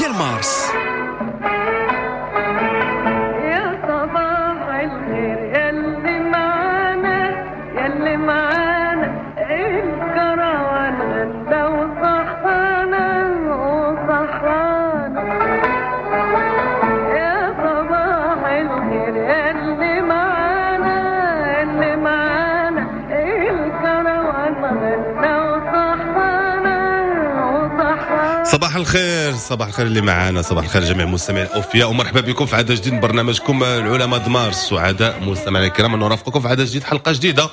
ديال مارس. يا صباح الخير ياللي معانا، ياللي معانا الكروان غدا وصحانا وصحانا. يا صباح الخير ياللي معانا، ياللي معانا الكروان غدا وصحانا وصحانا. صباح الخير، صباح الخير اللي معانا، صباح الخير جميع المستمعين الاوفياء، ومرحبا بكم في عدد جديد من برنامجكم العلماء دمارس. سعداء مستمعينا الكرام ان نرافقكم في عدد جديد، حلقة جديدة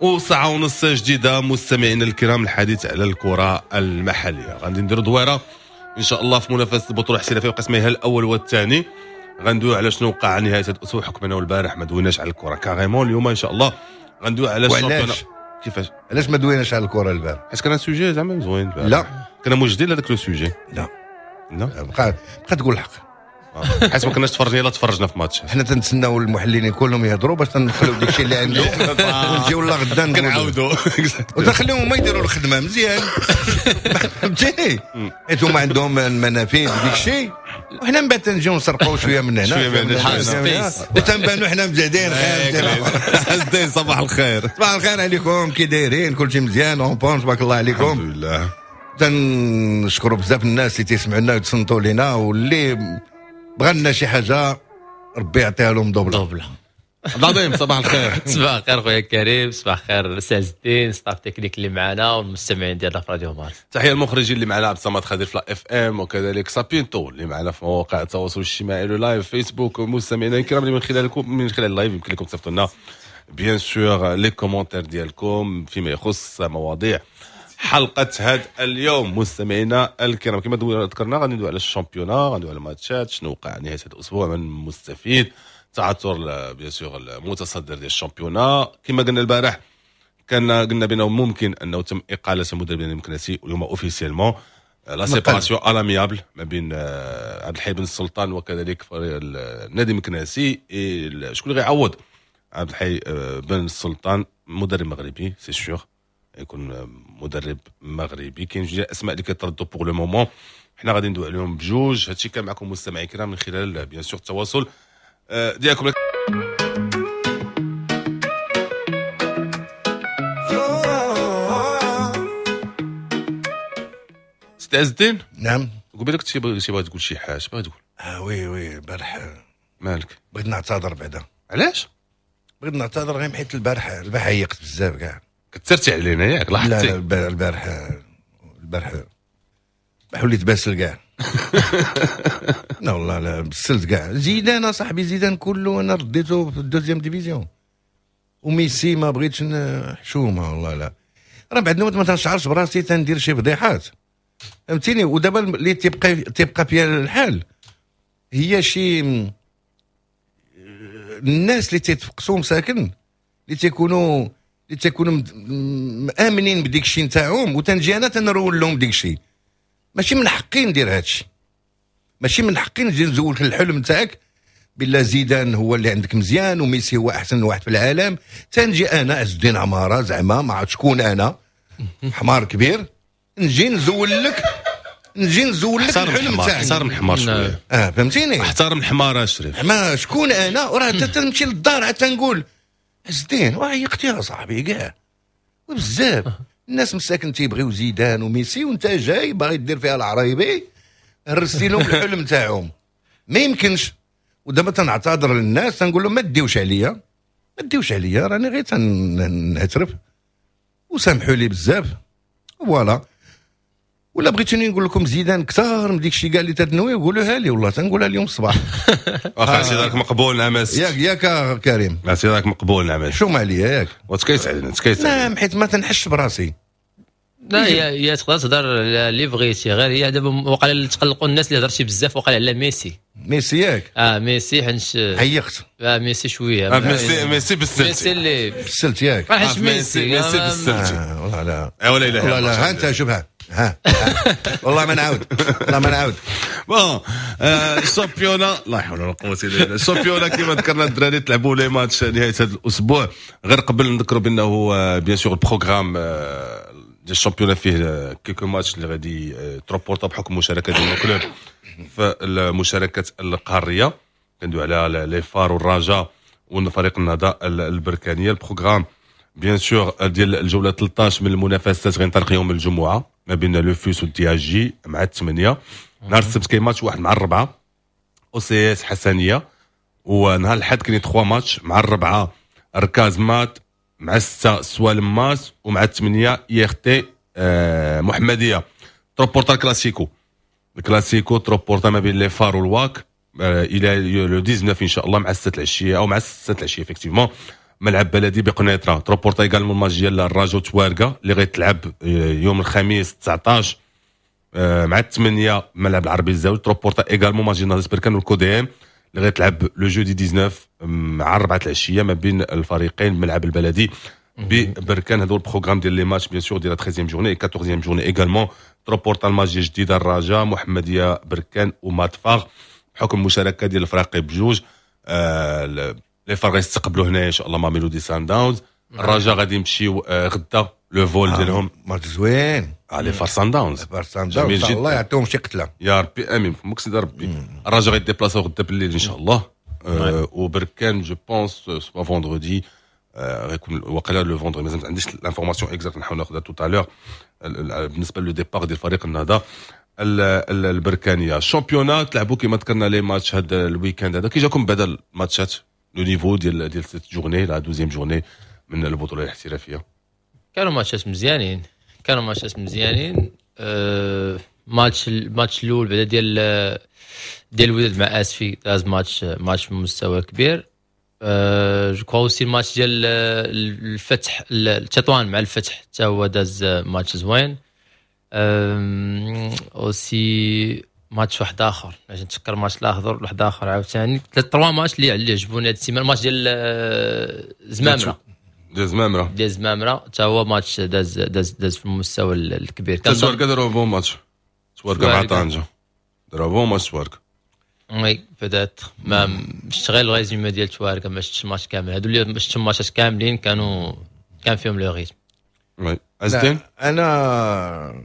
وساعة ونص جديدة مستمعينا الكرام، الحديث على الكره المحلية. غادي نديروا دويره ان شاء الله في منافسه البطولة الاحترافية وقسميها الاول والثاني. غندويو على شنو وقع نهاية هذا الاسبوع، حكم انه البارح ما دويناش على الكره carrément. اليوم ان شاء الله غندويو على وعلاش؟ ال championnat. كيفاش؟ علاش ما دويناش على الكره البارح؟ حيت كان sujet زعما زوين البارح. لا. كنا موجدين لهذاك le sujet. لا. لا. بقى تقول الحق. حيت ما كناش تفرجنا، الا تفرجنا في ماتش. حنا تنتسناو المحللين كلهم يهضروا باش تنخليو داك الشيء اللي عندهم ونجيو لا غدا نقولوا. كنعاودوا وتخليهم هما يديروا الخدمة مزيان، فهمتيني؟ حيت هما عندهم المنافذ وديك الشيء، وحنا من بعد تنجيو نسرقوا شوية من هنا شوية من هنا، شوية من هنا، space. وتنبانوا حنا مزيانين خير. عزدين صباح الخير. صباح الخير عليكم، كي دايرين؟ كلشي مزيان en bon، تبارك الله الحمد عليكم. لله. تنشكروا بزاف الناس اللي تيسمعوا لنا ويتصنتوا لينا، واللي بغى لنا شي حاجة ربي يعطيها لهم double. double. عبد العظيم صباح الخير. صباح الخير خويا كريم، صباح الخير سي عز الدين، staff technique اللي معنا والمستمعين ديالنا في راديو مارس. تحية المخرجين اللي معنا عبد الصمد خضير في la FM، وكذلك سابينتو اللي معنا في مواقع التواصل الاجتماعي le live فيسبوك. ومستمعينا الكرام اللي من خلالكم، من خلال ال live يمكن لكم تصيفطوا لنا bien sûr les commentaires ديالكم فيما يخص مواضيع حلقة هذا اليوم. مستمعينا الكرام كما ذكرنا غادي ندوي على ال championnat، غادي ندوي على الماتشات، شنو وقع نهاية هذا الأسبوع، من مستفيد، تعثر bien sûr المتصدر ديال ال championnat. كما قلنا البارح كان قلنا بانه ممكن انه تم اقاله المدرب المكناسي، واليوم officiellement la séparation à l'amiable ما بين عبد الحي بن السلطان وكذلك فريق النادي المكناسي. شكون اللي غيعوض عبد الحي بن السلطان؟ مدرب مغربي c'est sûr يكون مدرب مغربي. كاين جوج اسماء اللي كيتردوا pour le moment، حنا غادي ندوي عليهم بجوج. هادشي كان معكم مستمعي الكرام من خلال bien sûr التواصل ديالكم. سيدي عز الدين. نعم. قبيلة كنت شي باغي تقول شي حاجة، باغي تقول. Oui oui البارح مالك؟ بغيت نعتذر بعدا. علاش؟ بغيت نعتذر غير حيت البارح عيقت بزاف كاع. كثرتي علينا ياك؟ لا لا، لاحظتي؟ البارح وليت باسل كاع. لا والله لا بسلت كاع. زيدان صاحبي، زيدان كله انا رديته في ال deuxième division، وميسي ما بغيتش حشومه والله. لا راه بعد نوبات ما تنشعرش براسي تندير شي فضيحات، فهمتيني؟ ودابا اللي تيبقى فيها الحال هي شي الناس اللي تيتفقسوا مساكن، اللي تيكونوا مآمنين بديك الشيء نتاعهم، وتنجي انا تنرول لهم ديك الشيء. ماشي من حقي ندير هادشي، ماشي من حقي نجي نزولك الحلم نتاعك بالله زيدان هو اللي عندك مزيان وميسي هو احسن واحد في العالم. تنجي انا عز الدين عمارة زعما ما عرفت شكون انا، حمار كبير، نجي نزول لك احترم الحلم الحمار، تاعك. احترم الحمار شوية. فهمتيني؟ احترم الحمار اشريف. ما شكون انا؟ وراه تنمشي للدار عاد تنقول عز الدين وعيقتي يا صاحبي كاع بزاف. الناس مساكن تيبغيو زيدان وميسي، وانت جاي باغي دير فيها العرايبي، هرستي لهم الحلم تاعهم. ما يمكنش. ودابا تنعتذر للناس تنقول لهم ما ديوش عليا، ما ديوش عليا، راني غير تنعترف وسامحوا لي بزاف. voilà. ولا بغيتوني نقول لكم زيدان كثار من ديك الشيء كاع اللي تتنوي قولوها لي، والله تنقولها اليوم الصباح. واخا اعتذارك مقبول نعم. ياك ياك كريم، اعتذارك مقبول نعم. شو ما عليا ياك؟ وتكيس علينا، تكيس علينا. نعم، حيت ما تنحش براسي. لا هي تقدر تهضر اللي بغيتي، غير هي دابا وقع اللي تقلقوا الناس اللي هضرتي بزاف وقع على ميسي. ميسي ياك؟ ميسي حنش عيقت. ميسي شوية. ميسي بالسلتي. ميسي اللي بالسلت ياك؟ حنش ميسي. ميسي بالسلتي. والله لا. ولا اله والله لا. ها انت شوفها. ها والله ما نعاود، والله ما نعاود. Bon ال championnat، لا حول ولا قوة الا بالله. ال championnat كما ذكرنا الدراري تلعبوا les matchs نهاية هذا الاسبوع. غير قبل نذكروا بانه bien sûr ال programme ديال ديال ال championnat فيه quelques matchs اللي غادي ت reporta بحكم المشاركة ديال ال clubs في المشاركات القاريه. كندوي على les FAR والرجاء وفريق النهضة البركانيه. ال programme bien sûr ديال الجولة 13 من المنافسات غينطلق يوم الجمعة ما بين le FUS وال DHJ مع 8. نهار السبت كاين ماتش واحد مع 4، OCS حسنيه. ونهار الاحد كاين 3 ماتش، مع 4 ركاز مات، مع 6 سوالم ماس، ومع 8 IRT محمديه. ت reporta الكلاسيكو، الكلاسيكو ت reporta ما بين les FAR والواك الى le 19 ان شاء الله مع 6 العشية او مع 6 العشية effectivement، ملعب بلدي بقنيطره. ت reporta également الماتش ديال الرجاء توارقه اللي غيتلعب يوم الخميس 19 مع 8، ملعب العربي الزاوي. ت reporta également match ديال نهضة بركان والكوديم اللي غيتلعب le jeudi 19 مع 4 العشية ما بين الفريقين، الملعب البلدي ببركان. هذا هو ال programme ديال les matchs bien sûr ديال 13 journée، 14 journée également ت reporta الماتش ديال جديدة الرجاء، محمديه بركان وماتفاغ بحكم المشاركة ديال الفريق بجوج. Les FAR غيستقبلوا هنا ان شاء الله ماميلودي سان داونز. الرجاء غادي يمشيو غدا le vol ديالهم. ماتش زوين. les FAR سان داونز. FAR سان داونز، الله يعطيهم شي قتله. يا ربي امين، فمك سيدي ربي. الرجاء غي déplaçaو غدا بالليل ان شاء الله، وبركان je pense soit vendredi غيكون وقيلا le vendredi، مازال ما عنديش l'information exacte، نحاول ناخذها tout à l'heure بالنسبة le départ ديال فريق النهضة البركانيه. ال championnat تلعبوا كما ذكرنا les matchs هذا ال week-end هذا. كي جاكم بعدا الماتشات، le niveau ديال cette journée، la 12e journée من البطولة الاحترافيه؟ كانوا ماتشات مزيانين، كانوا ماتشات مزيانين. ماتش الاول بعدا ديال الوداد مع اسفي داز ماتش في مستوى كبير. Je crois aussi الماتش ديال الفتح، التطوان مع الفتح، حتى هو داز ماتش زوين. aussi ماتش واحد اخر باش نتفكر، ماتش الاخر واحد اخر عاوتاني، trois matchs اللي عجبوني هاد السيمانه. الماتش ديال زمامره. ديال زمامره. ديال زمامرة حتى هو ماتش داز في المستوى الكبير. تواركا داروا bon match، تواركا مع طنجه داروا bon match تواركا. oui peut-être، ما شفت غير ال résumé ديال تواركا، ما شفتش الماتش كامل. هادو اللي شفت الماتشات كاملين كان فيهم le rythme. oui، عزتين. انا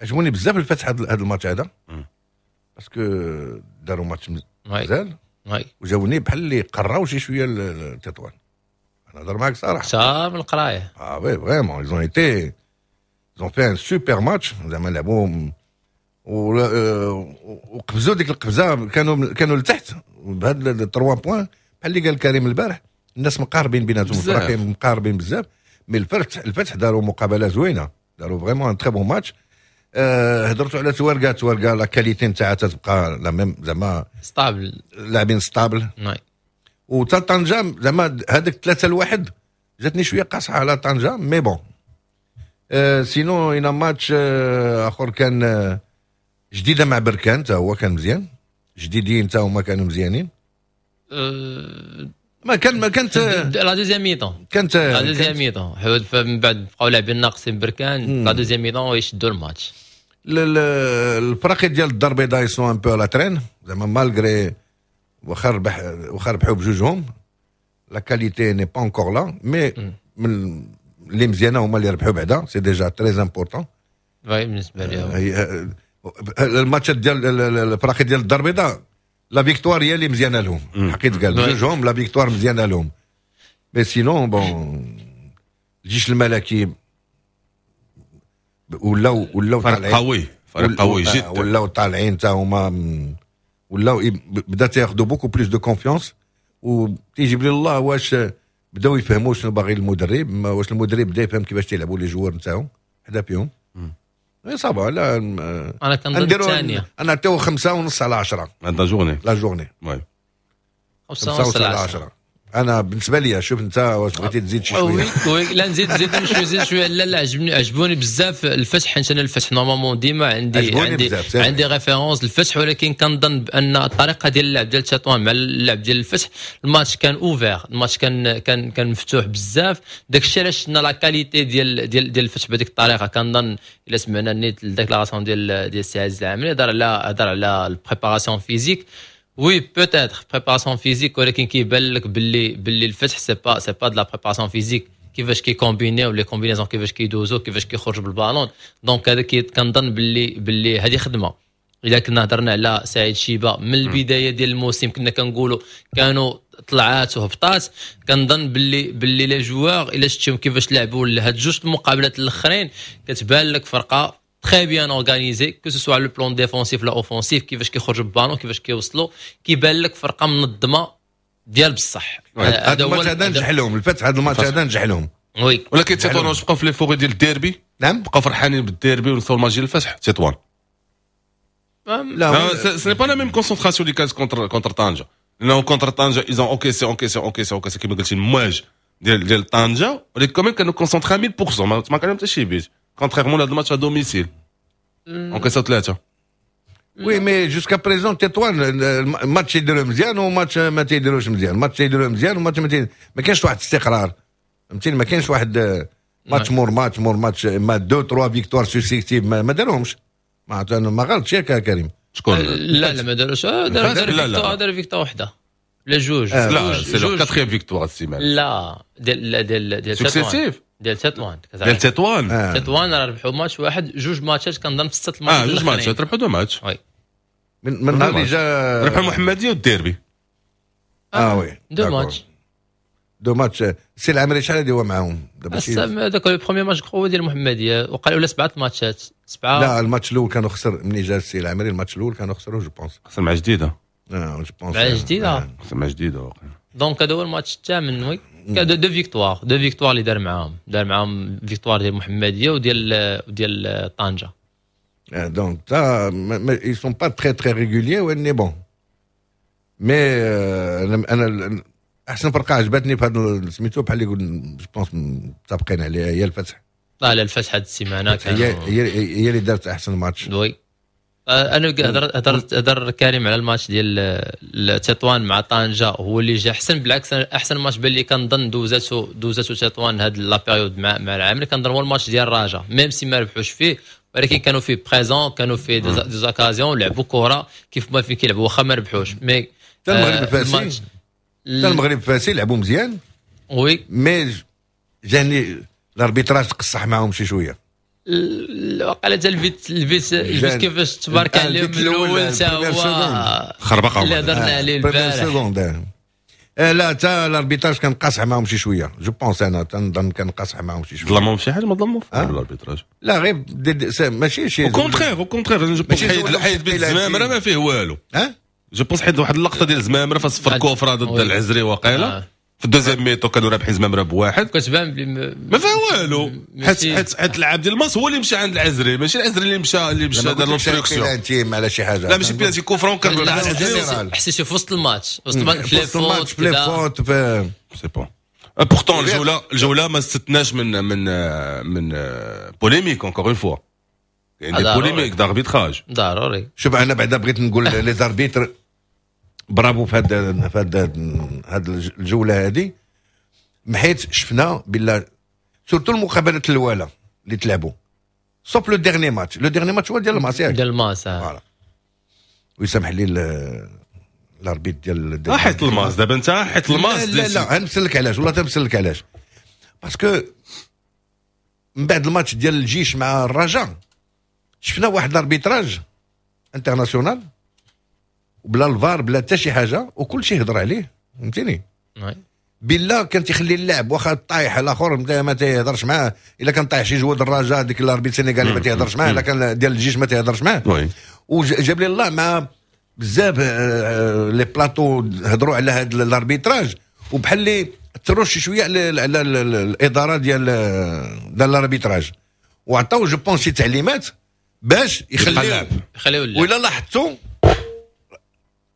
عجبوني بزاف الفتح هذا الماتش هذا parce que داروا ماتش مزيان وجاوني بحال اللي قراو شي شوية التطوان، انا نهضر معاك صراحه. صار من القرايه. اه oui، vraiment ils ont été ils ont fait un super match، زعما لعبوا وقفزوا ديك القفزه، كانوا لتحت بهاد ال 3 points. بحال اللي قال كريم البارح، الناس مقاربين بيناتهم، الفرق مقاربين بزاف، mais الفتح داروا مقابله زوينه، داروا vraiment un très bon match. هضرتوا على تواركا، تواركا la qualité نتاعها تبقى la même زعما. stable. لاعبين stables. وتا طنجه زعما هذاك 3-1 جاتني شوية قاصحة على طنجه، mais bon sinon un match اخر كان جديدة مع بركان، تا هو كان مزيان. جديدين تا هما كانوا مزيانين. ما كان ما كانت la deuxième mi-temps. كانت la deuxième mi-temps، من بعد بقاو لاعبين ناقصين بركان، la deuxième mi-temps يشدوا الماتش. الفرق ديال الدار البيضاء sont un peu à la traîne زعما، malgré واخا ربحوا بجوجهم، la qualité n'est pas encore là، mais من اللي مزيانه هما اللي ربحوا بعدا، c'est déjà très important. oui، بالنسبة لهم. الماتشات ديال الفرق ديال الدار البيضاء، la victoire هي اللي مزيانه لهم، حقيت قال بجوجهم la victoire مزيانه لهم. mais sinon bon، الجيش الملكي ولاو فريق قوي، فريق قوي جدا. ولاو طالعين تا هما، ولاو بدا تياخذوا beaucoup plus de confiance، وتيجيب لي الله واش بداو يفهموا شنو باغي المدرب، واش المدرب بدا يفهم كيفاش تيلعبوا les joueurs نتاعو حدا فيهم. اي ça va، لا. انا كنظن الثانيه. انا نعطيو 5.5 على 10. هذا journée. la journée. oui. 5.5 على 10 انا بالنسبة لي. شوف انت واش بغيتي تزيد شي شويه. oui oui، لا نزيد، نزيد شويه، نزيد شويه. لا لا، عجبوني بزاف الفتح، حيت انا الفتح normalement ديما عندي référence الفتح، ولكن كنظن بان الطريقة ديال اللعب ديال تطوان مع اللعب ديال الفتح، الماتش كان ouvert، الماتش كان مفتوح بزاف. داك الشيء علاش شفنا la qualité ديال الفتح بهذيك الطريقه. كنظن الا سمعنا نيت ال déclaration ديال السي عزيز العامري، هضر على ال préparation physique. oui peut-être préparation physique، ولكن كيبان لك باللي الفتح c'est pas de la préparation physique. كيفاش كي combiner و les combinaisons، كيفاش كيدوزو، كيفاش كيخرجوا بال ballon. donc هذا كنظن باللي هذه خدمه. اذا كنا هضرنا على سعيد شيبة من البداية ديال الموسم، كنا كنقولوا كانوا طلعات وهبطات. كنظن باللي les joueurs الا شفتيهم كيفاش لعبوا لهاد جوج المقابلات الاخرين، كتبان لك فرقه très bien organisée، que ce soit le plan défensif لا offensif، كيفاش كيخرجوا بالبالون، كيفاش كيوصلوا، كيبان لك فرقه منظمة ديال بصح. هذا الماتش هذا نجح لهم الفتح، هذا الماتش هذا نجح لهم. oui. ولكن تطوان واش بقاو في l'euphorie ديال الديربي؟ نعم. بقاو فرحانين بالديربي ونساو الماتش ديال الفتح تطوان؟ لا، ce n'est pas la même concentration اللي كانت contre طنجه، لانه contre طنجه ils ont encaissé، encaissé، encaissé، encaissé، كيما قلتي المواج ديال طنجه، ولكن quand même كانوا concentrés 100%، ما كان حتى شي but، contrairement لهذا الماتش à domicile encaissاو ثلاثه. oui، mais jusqu'à présent تطوان الماتش يديروه مزيان وماتش ما تيديروش مزيان، ماتش يديروه مزيان وماتش ما كاينش واحد الاستقرار، فهمتيني؟ ما كاينش واحد ماتش مور ماتش مور ماتش، ما deux trois victoires successives ما داروهمش. ما غلطش ياك كريم؟ شكون؟ لا لا، ما داروش. دار دار victoire وحده لا جوج. لا، c'est la quatrième victoire السيمانه. لا، ديال successives. ديال تطوان. ديال تطوان. تطوان راه ربحوا ماتش واحد، جوج ماتشات كنظن في ستة الماتشات. اه، جوج ماتشات، ربحوا deux matchs. oui. من نهار اللي جا. ربحوا المحمدية والديربي. اه oui. deux matchs. deux matchs. سي العمري شحال هادي هو معاهم دابا؟ هذاك le premier match هو ديال المحمديه، وقال ولا سبعة ماتشات، سبعه. لا، الماتش الاول كانوا خسر. ملي جا السي العمري، الماتش الاول كانوا خسروا je pense. خسر مع جديده. اه، je pense. مع جديده. خسر مع جديدة واقيلا. donc هذا هو الماتش الثامن. oui، deux victoires، deux victoires اللي دار معاهم، دار معاهم victoire ديال المحمدية وديال طنجه. donc ça ils sont pas très très réguliers، mais bon، mais انا احسن فرقه عجبتني في هذا سميتو، بحال اللي يقول je pense متفقين عليها، هي الفتح. لا لا، الفتح هذه السيمانه. هي اللي دارت احسن ماتش. oui، انا هضر كريم على الماتش ديال تطوان مع طنجه، هو اللي جا احسن. بالعكس، احسن ماتش بان لي كنظن دوزاتو تطوان هاد la période مع العامري، كنظن هو الماتش ديال الرجاء، même si ما ربحوش فيه، ولكن كانوا فيه présents، كانوا فيه des occasions، لعبوا كره كيف ما فين كيلعبوا، واخا ما ربحوش mais حتى المغرب الفاسي، حتى المغرب الفاسي لعبوا مزيان. oui. mais جاني l'arbitrage تقصح معاهم شي شويه. وقال حتى البيت كيفاش تبارك عليهم الاول تا هو. خربقه. اللي هضرنا عليه البارح. لا، حتى l'arbitrage كان قاصح معاهم شي شويه، je pense، انا تنظن كان قاصح معاهم شي شويه. ظلمهم شي حاجه؟ ما ظلموا في l'arbitrage. لا، غير ماشي شي au contraire، au contraire، je pense حيد بيت زمامرة ما فيه والو. ها. je pense حيد واحد اللقطة ديال زمامرة فصفر coup franc ضد العزري وقيله في ال deuxième mi-temps، كانوا رابحين زمامرة بواحد. كتبان بلي ما فيها والو، حيت اللاعب ديال الماس هو اللي مشى عند العزري، ماشي العزري اللي مشى دار l'obstruction. بيلانتي على شي حاجه. لا، ماشي penalty، coup franc كان. حسيتي في وسط الماتش، وسط الماتش، في الماتش، في les fautes، في c'est bon. pourtant الجوله ما استثناش من polémique، encore une fois يعني des polémiques d'arbitrage. ضروري. شوف، انا بعدا بغيت نقول les arbitres bravo في هاد الجولة هذه، حيت شفنا بلا surtout المقابلات الاولى اللي تلعبوا، sauf le dernier match، le dernier match هو ديال الماس، ياك؟ ديال الماس. voilà، ويسامح لي l'arbitre ديال حيت الماس دابا انت حيت الماس. لا لا لا، غنمثل علاش، والله تنمثل لك علاش، parce que من بعد الماتش ديال الجيش مع الرجاء شفنا واحد l'arbitrage international بلا الفار بلا حتى شي حاجه، وكل شيء هضر عليه، فهمتيني؟ بالله كان تيخلي اللاعب واخا طايح الاخر ما تيهضرش معاه. الا كان طايح شي joueur الرجاء، ديك l'arbitre السنغالي ما تيهضرش معاه، الا كان ديال الجيش ما تيهضرش معاه. وجاب لي الله مع بزاف les plateaux هضروا على هذا l'arbitrage، وبحال اللي تروش شوية على الادارة ديال l'arbitrage، وعطاو je pense شي تعليمات باش يخليو يخليو. ولا لاحظتوا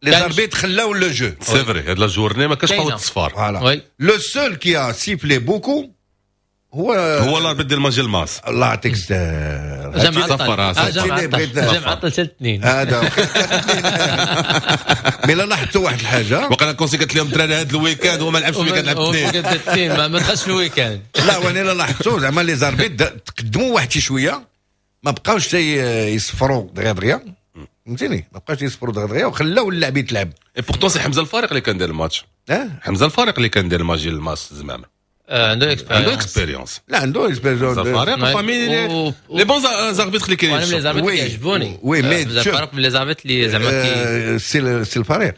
les arbitres خلاو le jeu. c'est vrai، هاد la journée ما كاش قوة الصفار. voilà، le seul qui a sifflé beaucoup هو هو l'arbitre ديال ماجي الماس. الله يعطيك الستر. جا معطل، جا معطل، جا معطل حتى الاثنين. هذا mais لا لاحظتوا واحد الحاجه. وقال كونسي قالت لهم الدراري هذا ال week-end هو ما لعبش ال week-end، لعب الاثنين. الاثنين ما دخلش في ال week-end. لا، وانا لا لاحظتوا زعما les arbitres تقدموا واحد شي شويه، ما بقاوش يصفروا دغيا دغيا، فهمتيني؟ ما بقاوش يصفروا دغيا دغيا وخلاو اللاعب يتلعب. et pourtant c'est حمزة الفريق اللي كان داير الماتش. اه. حمزة الفريق اللي كان داير الماتش ديال الماس زعما. عنده expérience، عنده expérience. لا، عنده expérience. فريق parmi les bons arbitres اللي كاينين. انا les arbitres كيعجبوني. oui، mais فرق من les arbitres اللي زعما c'est الفريق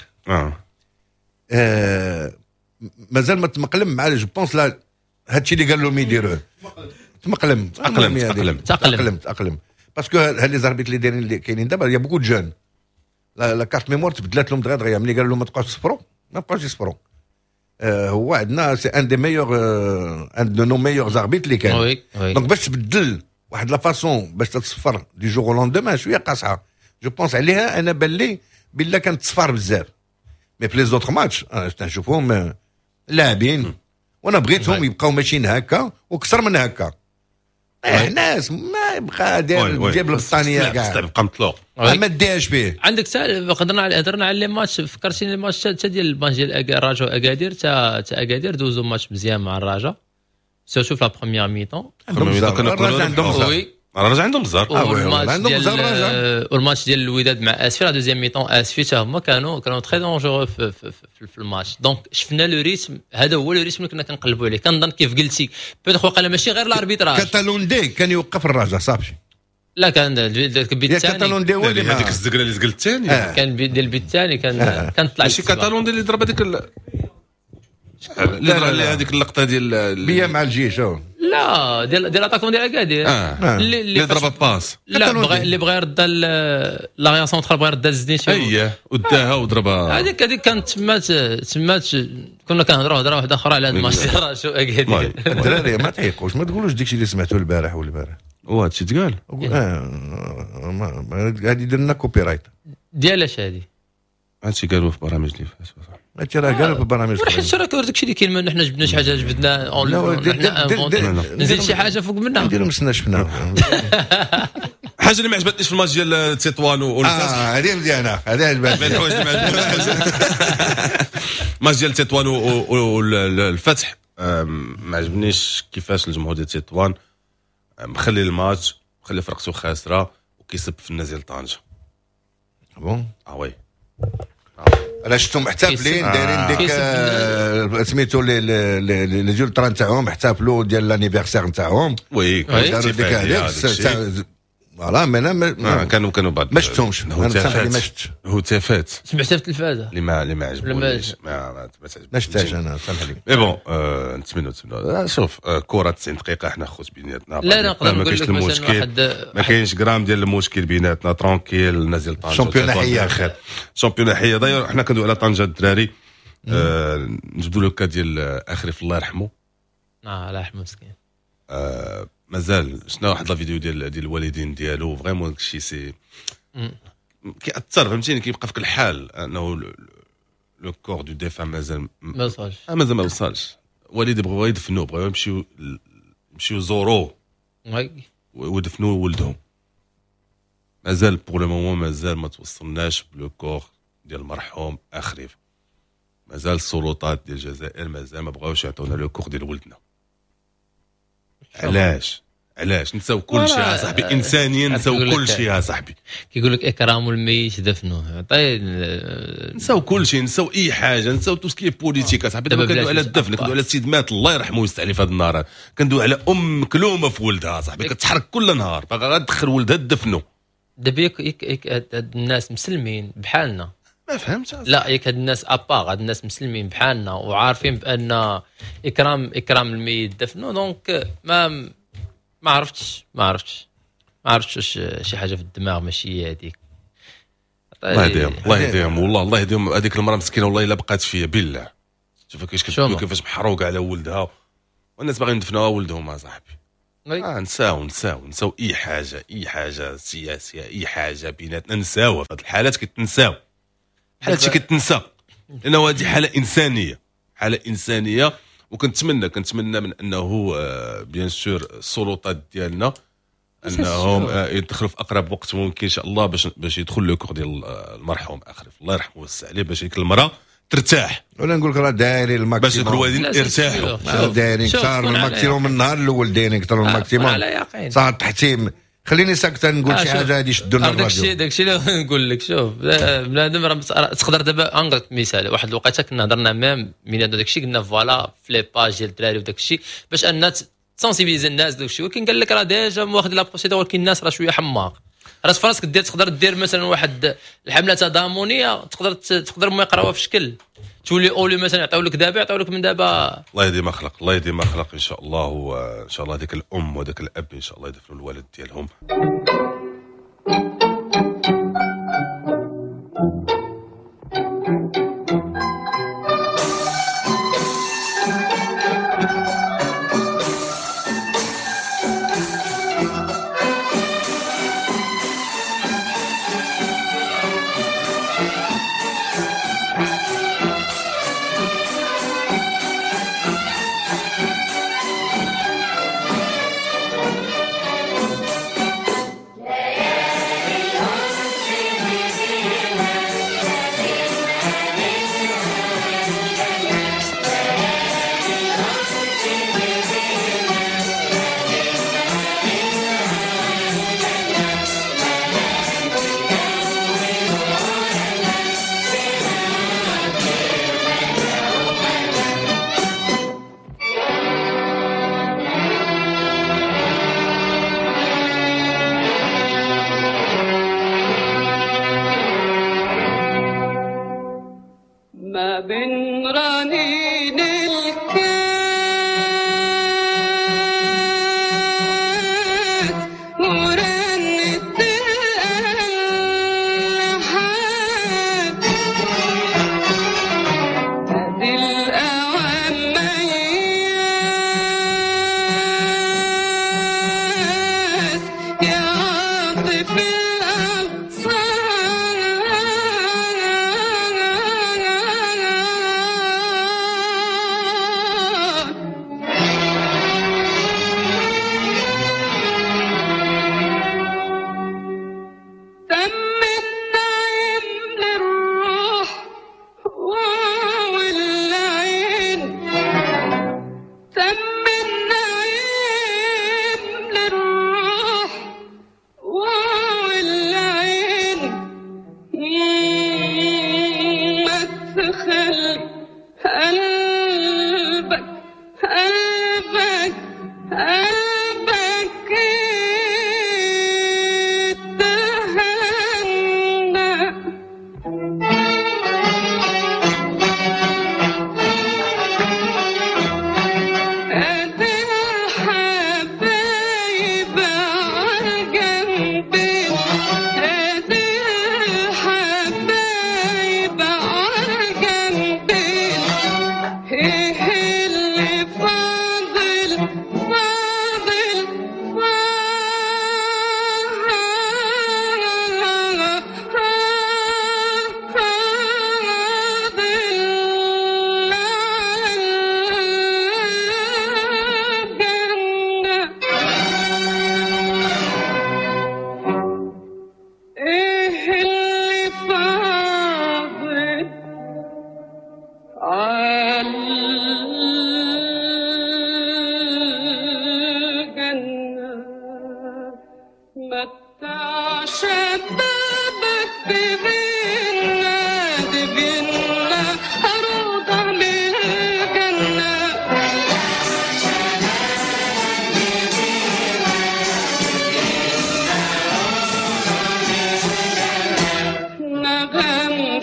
مازال ما تمقلم مع je pense لا، هادشي اللي قال لهم يديروه تمقلم. تأقلم، تأقلم. تأقلم، تأقلم، parce que هاد les arbitres اللي دايرين، اللي كاينين دابا، y a beaucoup de jeunes، la carte mémoire تبدلات لهم دغيا دغيا. ملي قالوا لهم ما تبقاوش تصفروا، ما بقاوش يصفروا. هو عندنا c'est un des meilleurs، un de nos meilleurs arbitres اللي كان. oui oui donc باش تبدل واحد la façon باش تتصفر du jour au lendemain شوية قاصحه، je pense. عليها انا بان لي بلا كانت تصفار بزاف، mais في les autres matchs انا تنشوفهم لاعبين، وانا بغيتهم يبقاو ماشيين هكا وكثر من هكا. ناس ما يبقى داير جيب البطانيه كاع. تبقى مطلوق. ما ديهاش فيه. عندك سؤال، هضرنا على les matchs، فكرتيني الماتش تا ديال الماتش ديال الرجاء اكادير، تا اكادير دوزو ماتش مزيان مع الرجاء، surtout في la première mi-temps. عندهم الرجاء، عندهم oui. الرجاء عندهم الزهر. والماتش ديال والماتش ديال الوداد مع اسفي، la deuxième mi-temps، اسفي حتى هما كانوا très dangereux في ال match. donc شفنا le rythme، هذا هو le rythme اللي كنا كنقلبوا عليه. كنظن كيف قلتي peut-être وقيلا ماشي غير l'arbitrage. كاتالوندي كان يوقف الرجاء صافي. لا، كان البيت الثاني. كاتالوندي هو اللي هذيك الزقله اللي زقل الثاني. كان ديال البيت الثاني، كان طلع. ماشي كاتالوندي اللي ضرب هذيك، اللي هذيك اللقطة ديال بيا مع الجيش. لا، ديال l'attaquant ديال اكادير. اللي ضرب passe. لا، بغى اللي بغى يرد l'arrière central، بغى يرد الزنيتي. اييه، وداها وضربها. هذيك كانت تمات، كنا كنهضروا هضره واحدة اخرى على هذا الماتش ديال راشو اكادير. الدراري ما تعيقوش، ما تقولوش داكشي اللي سمعتوه البارح والبارح. وهادشي تقال. غادي يدير لنا copyright. ديال اش هادي؟ هادشي قالوا في برامج اللي فاتوا. هادشي راه قالوا في برامج. حيت راه داكشي اللي كاين، حنا جبنا شي حاجه، جبدنا نزيد شي حاجة فوق منها. نديرو مسنا شفنا. حاجة اللي ما عجبتنيش في الماتش ديال تطوان. والفاس، هذه مزيانه، هذه عجبتني. الحوايج اللي ما عجبتنيش، الماتش ديال تطوان والفتح، ما عجبنيش كيفاش الجمهور ديال تطوان مخلي الماتش، مخلي فرقته خاسرة وكيسب في الناس ديال طنجه. bon. اه oui. انا شفتهم محتفلين، دايرين ديك سميتو les ultras نتاعهم، احتفلوا ديال l'anniversaire نتاعهم. oui. داروا ديك هذيك، voilà، mais انا ما كانوا بعض ما شفتهمش انا، ما شفتش. هتافات. سمعتها في التلفازه. اللي ما عجبونيش، ما ما شفتهاش انا، سامح لي. mais bon، نتمنوا، شوف، كره 90 دقيقه، حنا خوت بيناتنا. لا، نقدر ما نقول كاينش لك مثلا المشكل واحد ما كاينش غرام ديال المشكل بيناتنا، tranquille. الناس ديال طنجه championnat حيه. خير، championnat حيه. d'ailleurs حنا كندوي على طنجه الدراري، نجبدوا le cas ديال اخريف الله يرحمه. اه، الله يرحمه مسكين. مازال شفنا واحد la vidéo ديال الوالدين ديالو، vraiment داكشي c'est كيأثر، فهمتيني، كيبقى فيك الحال انه le corps du défunt مازال ما وصلش. مازال ما وصلش. والدي بغاو يدفنوه، بغاو يمشيو يزوروه ويدفنوا ولدهم. مازال pour le moment مازال ما توصلناش ب le corps ديال المرحوم اخريف. مازال السلطات ديال الجزائر مازال ما بغاوش يعطونا le corps ديال ولدنا. علاش؟ علاش؟ نساو كل شيء يا صاحبي، انسانيا نساو كل شيء يا صاحبي. كيقول لك اكرام الميت دفنه. طيب. نساو كل شيء، نساو اي حاجه، نساو tout ce qui est politique صاحبي. دابا كندوي على الدفن، كندوي على السيد مات الله يرحمه ويوسع عليه في هذا النهار، كندوي على ام مكلومه في ولدها صاحبي، كتحرق كل نهار باغا تدخل ولدها تدفنو. دابا ياك هاد الناس مسلمين بحالنا؟ ما فهمتش. لا، ياك هاد الناس à part، هاد الناس مسلمين بحالنا وعارفين بان اكرام الميت دفنو، donc ما عرفتش واش شي حاجة في الدماغ ماشي هي هذيك. الله يهديهم، الله يهديهم، والله الله يهديهم. هذيك المراة مسكينه، والله الا بقات فيا بالله. شوف كيفاش كيفاش محروقة على ولدها، والناس باغيين يدفنوها ولدهم صاحبي. نساو نساو نساو اي حاجه، اي حاجة سياسيه، اي حاجة بيناتنا نساوها. في هذه الحالات كتنساو، بحال هادشي كتنسى، لانه هذه حاله انسانيه، حاله انسانيه. وكنتمنى كنتمنى من انه bien sûr السلطات ديالنا انهم يدخلوا في اقرب وقت ممكن ان شاء الله باش يدخل le corps ديال المرحوم اخرف الله يرحمه ويوسع عليه، باش ديك المراة ترتاح. ولا نقول لك راه دايرين ال maximum. باش الوالدين يرتاحوا. دايرين كثار من ال maximum، من النهار الاول دايرين كثر من ال maximum. على يقين. صار التحتيم خليني ساكت نقول شي حاجة غادي يشدوا لنا الراديو. داكشي اللي نقول لك. شوف بنادم راه تقدر دابا نعطيك مثال، واحد الوقيته كنا هضرنا même من هذا داكشي، قلنا voilà في les pages ديال الدراري وداكشي باش ان sensibiliser الناس داكشي، ولكن قال لك راه déjà واخد la procédure، ولكن الناس راه شوية حماق. راه في راسك دير تقدر دير مثلا واحد الحملة تضامنيه، تقدر ما يقراوها في شكل تولي اولي مثلا يعطيو لك دابا، يعطيو لك من دابا. الله يهدي ما خلق، الله يهدي ما خلق ان شاء الله. وان شاء الله ديك الام وداك الاب ان شاء الله يدفنوا الولد ديالهم.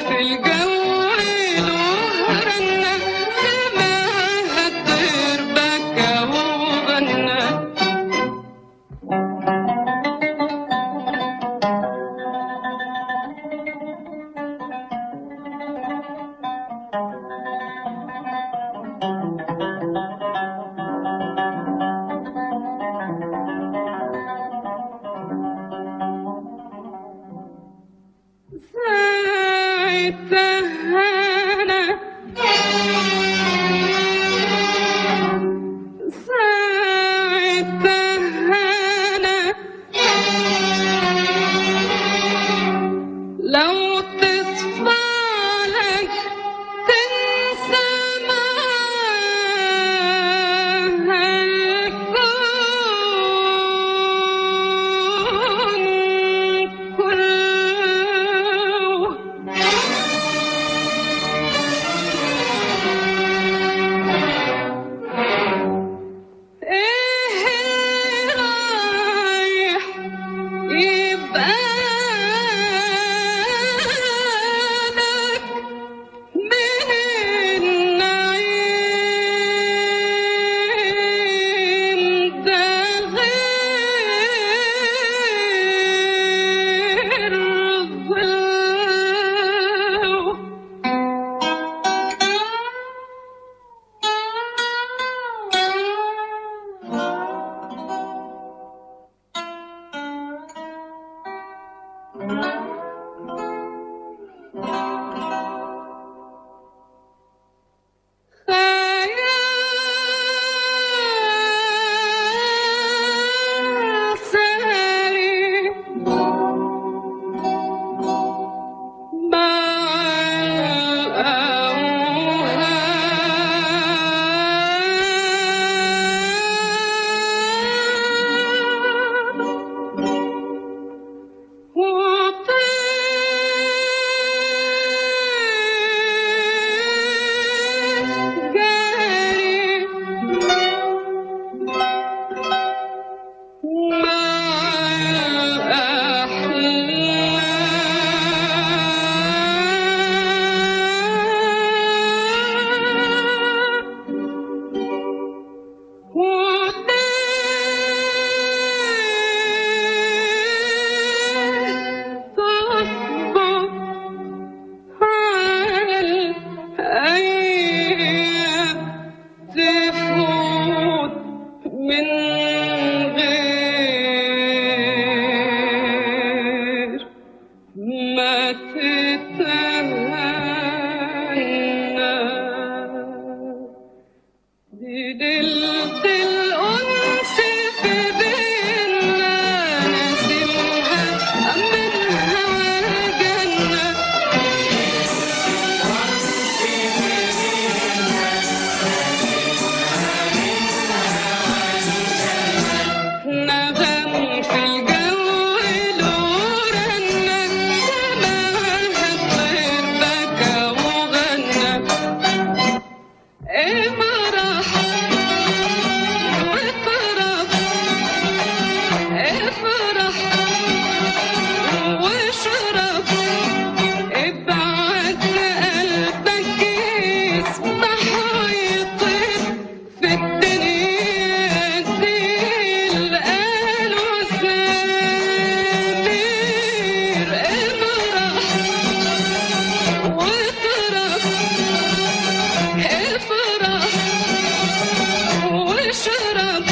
في الجو له رنة. ليلة الأنس في بينا نسيمها من هوى الجنة. نغم في الجو له رنة، سماها الطير بكى وغنى. افرح واطرب، افرح واشرب، ابعت قلبك يسبح ويطير في الدنيا دي. القالوا سمير افرح واطرب، افرح واشرب،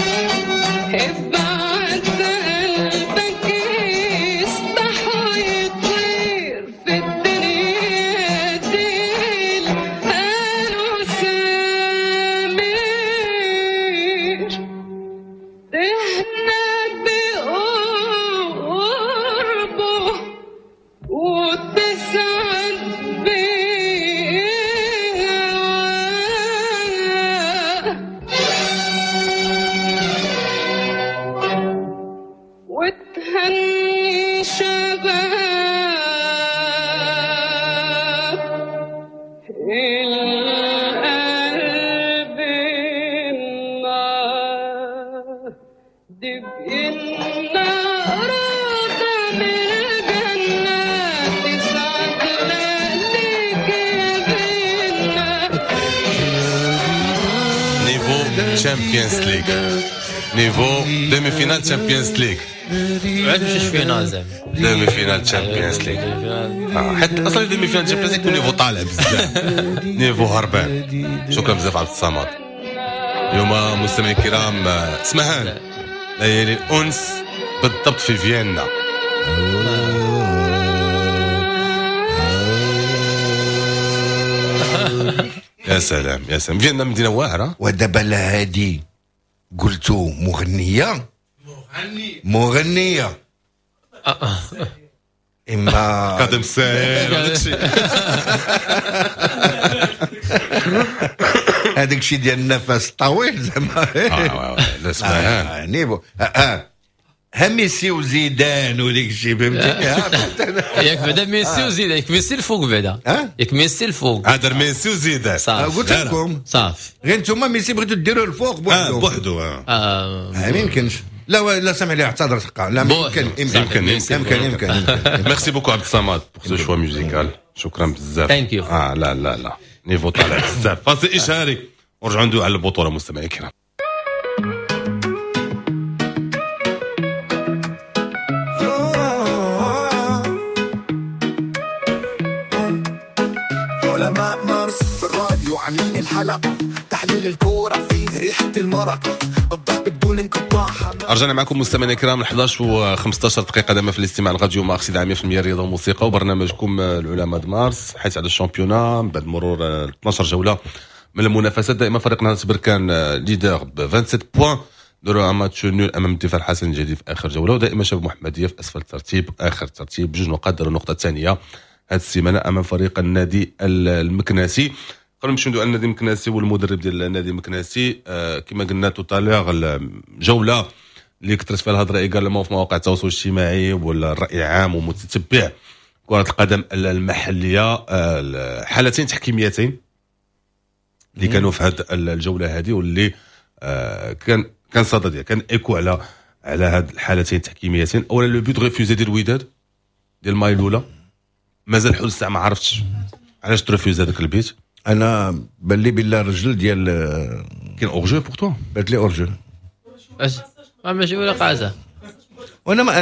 ابعت قلبك يسبح ويطير في الدنيا دي. القالوا سمير تهنى بقربه وتسعد بيه. وتهني شباب القلب النار دي بإنا راضى من الجنة تسعد ليك يا بينا. niveau Champions League، niveau demi-finale Champions League، عاد مشى finale زعما demi-finale Champions League. حيت اصلا demi-finale Champions League niveau طالع بزاف، niveau هربان. شكرا بزاف عبد الصمد. اليوم مستمعي الكرام اسمهان ليالي الانس بالضبط في فيينا. يا سلام يا سلام، فيينا مدينة واعرة. ودابا لا هادي قلتو مغنيه مغنيه اما قدم الساهل وداك الشيء. هذاك الشيء ديال النفس الطويل زعما. لا اسمهان niveau ها ميسي وزيدان وديك الشيء فهمتي. ياك بعدا ميسي وزيدان، ياك ميسي الفوق بعدا، ياك ميسي الفوق. هذا ميسي وزيدان صافي. قلت لكم صافي، غير نتوما ميسي بغيتو ديروه الفوق بوحدو بوحدو. ما يمكنش. لا لا سامح لي اعتذر حقا. لا يمكن يمكن يمكن يمكن. merci beaucoup عبد الصمد pour ce choix musical. شكرا بزاف. thank you. لا لا لا niveau طالع بزاف. فاصل اشهاري ورجعوا ندوي على البطولة مستمعي الكرام. علماء مارس في الراديو عاملين الحلقة، تحليل الكورة فيه ريحة المرق، الضحك بدون انقطاع. رجعنا معكم مستمعينا الكرام 11:15 دقيقة دائما في الاستماع الراديو مارس إذاعة 100% رياضة وموسيقى وبرنامجكم العلماء د مارس، حيث على ال championnat بعد مرور 12 جولة من المنافسات. دائما فريق نهضة بركان leader ب 27 points، داروا match nul امام الدفاع الحسن الجديد في اخر جولة، ودائما شباب محمدية في اسفل الترتيب اخر الترتيب بجوج نقاط، داروا النقطة الثانية هذه السيمانة امام فريق النادي المكناسي. قبل نمشيو ندوي على النادي المكناسي والمدرب ديال النادي المكناسي، كما قلنا tout à l'heure الجولة اللي كثرت فيها الهضرة également في مواقع التواصل الاجتماعي ولا الراي العام ومتتبع كره القدم المحلية، حالتين تحكيميتين اللي كانوا في هذه الجولة هذه واللي كان صدى ديال كان écho على هاد الحالتين التحكيميتين. اولا le but refusé ديال الوداد ديال مايلولا، مازال حول الساعة ما عرفتش علاش ت refuse هذاك البيت. انا بان لي بالله الرجل ديال كاين hors-jeu pour toi، بانت لي hors-jeu ماشي ولا قازه. وانا ما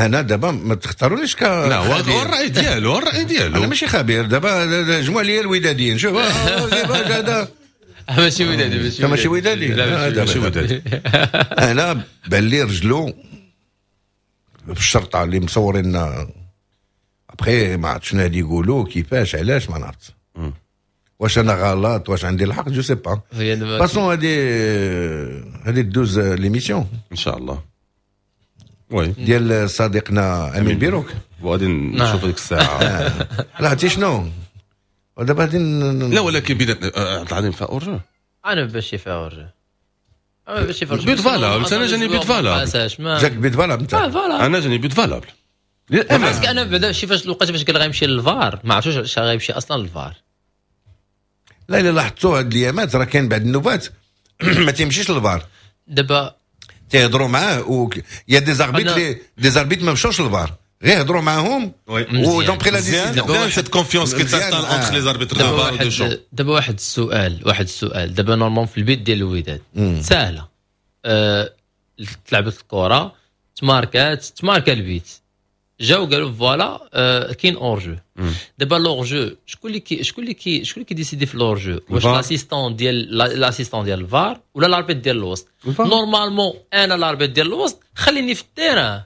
انا دابا ما تختارونيش ك لا هو الراي ديالو، الراي ديالو. انا ماشي خبير دابا، جمعوا لي الوداديين شوف هذا ماشي ودادي، ماشي ودادي، ماشي ودادي. انا بان لي رجلو في الشرطة اللي مصورين ابخي ما عرفت شنو هادي يقولوا كيفاش علاش ما نعرفت. واش انا غلط، واش عندي الحق، je sais pas. façon هذه دوز l'émission ان شاء الله oui ديال صديقنا امين بيروك، وغادي نشوف ديك الساعه. لا عرفتي شنو دابا غادي لا ولكن بيناتنا عبد العظيم فيها hors-jeu. انا ماشي فيها hors-jeu، انا ماشي فيها but valable. انا جاني but valable. جاك but valable انت؟ voilà. انا جاني but valable. parce que انا بعدا شي فاش الوقت فاش قال غيمشي للفار، ما عرفتش واش غيمشي اصلا للفار. لا الا لاحظتوا هاد الايامات راه كاين بعد النوبات ما تيمشيش للفار. دابا تيهضروا معاه و y a des arbitres، des arbitres ما مشاوش للفار، غير هضروا معاهم و ils ont pris la décision. cette confiance qui s'installe entre les arbitres de VAR de champ. دابا واحد السؤال، دابا normalement في البيت ديال الوداد سهله، تلعبت الكره، تماركات، تماركا البيت، جاو قالوا voilà كاين hors-jeu. دابا l'hors-jeu شكون اللي كي décider في l'hors-jeu؟ واش l'assistant ديال الفار ولا l'arbitre ديال الوسط؟ normalement انا l'arbitre ديال الوسط خليني في ال terrain،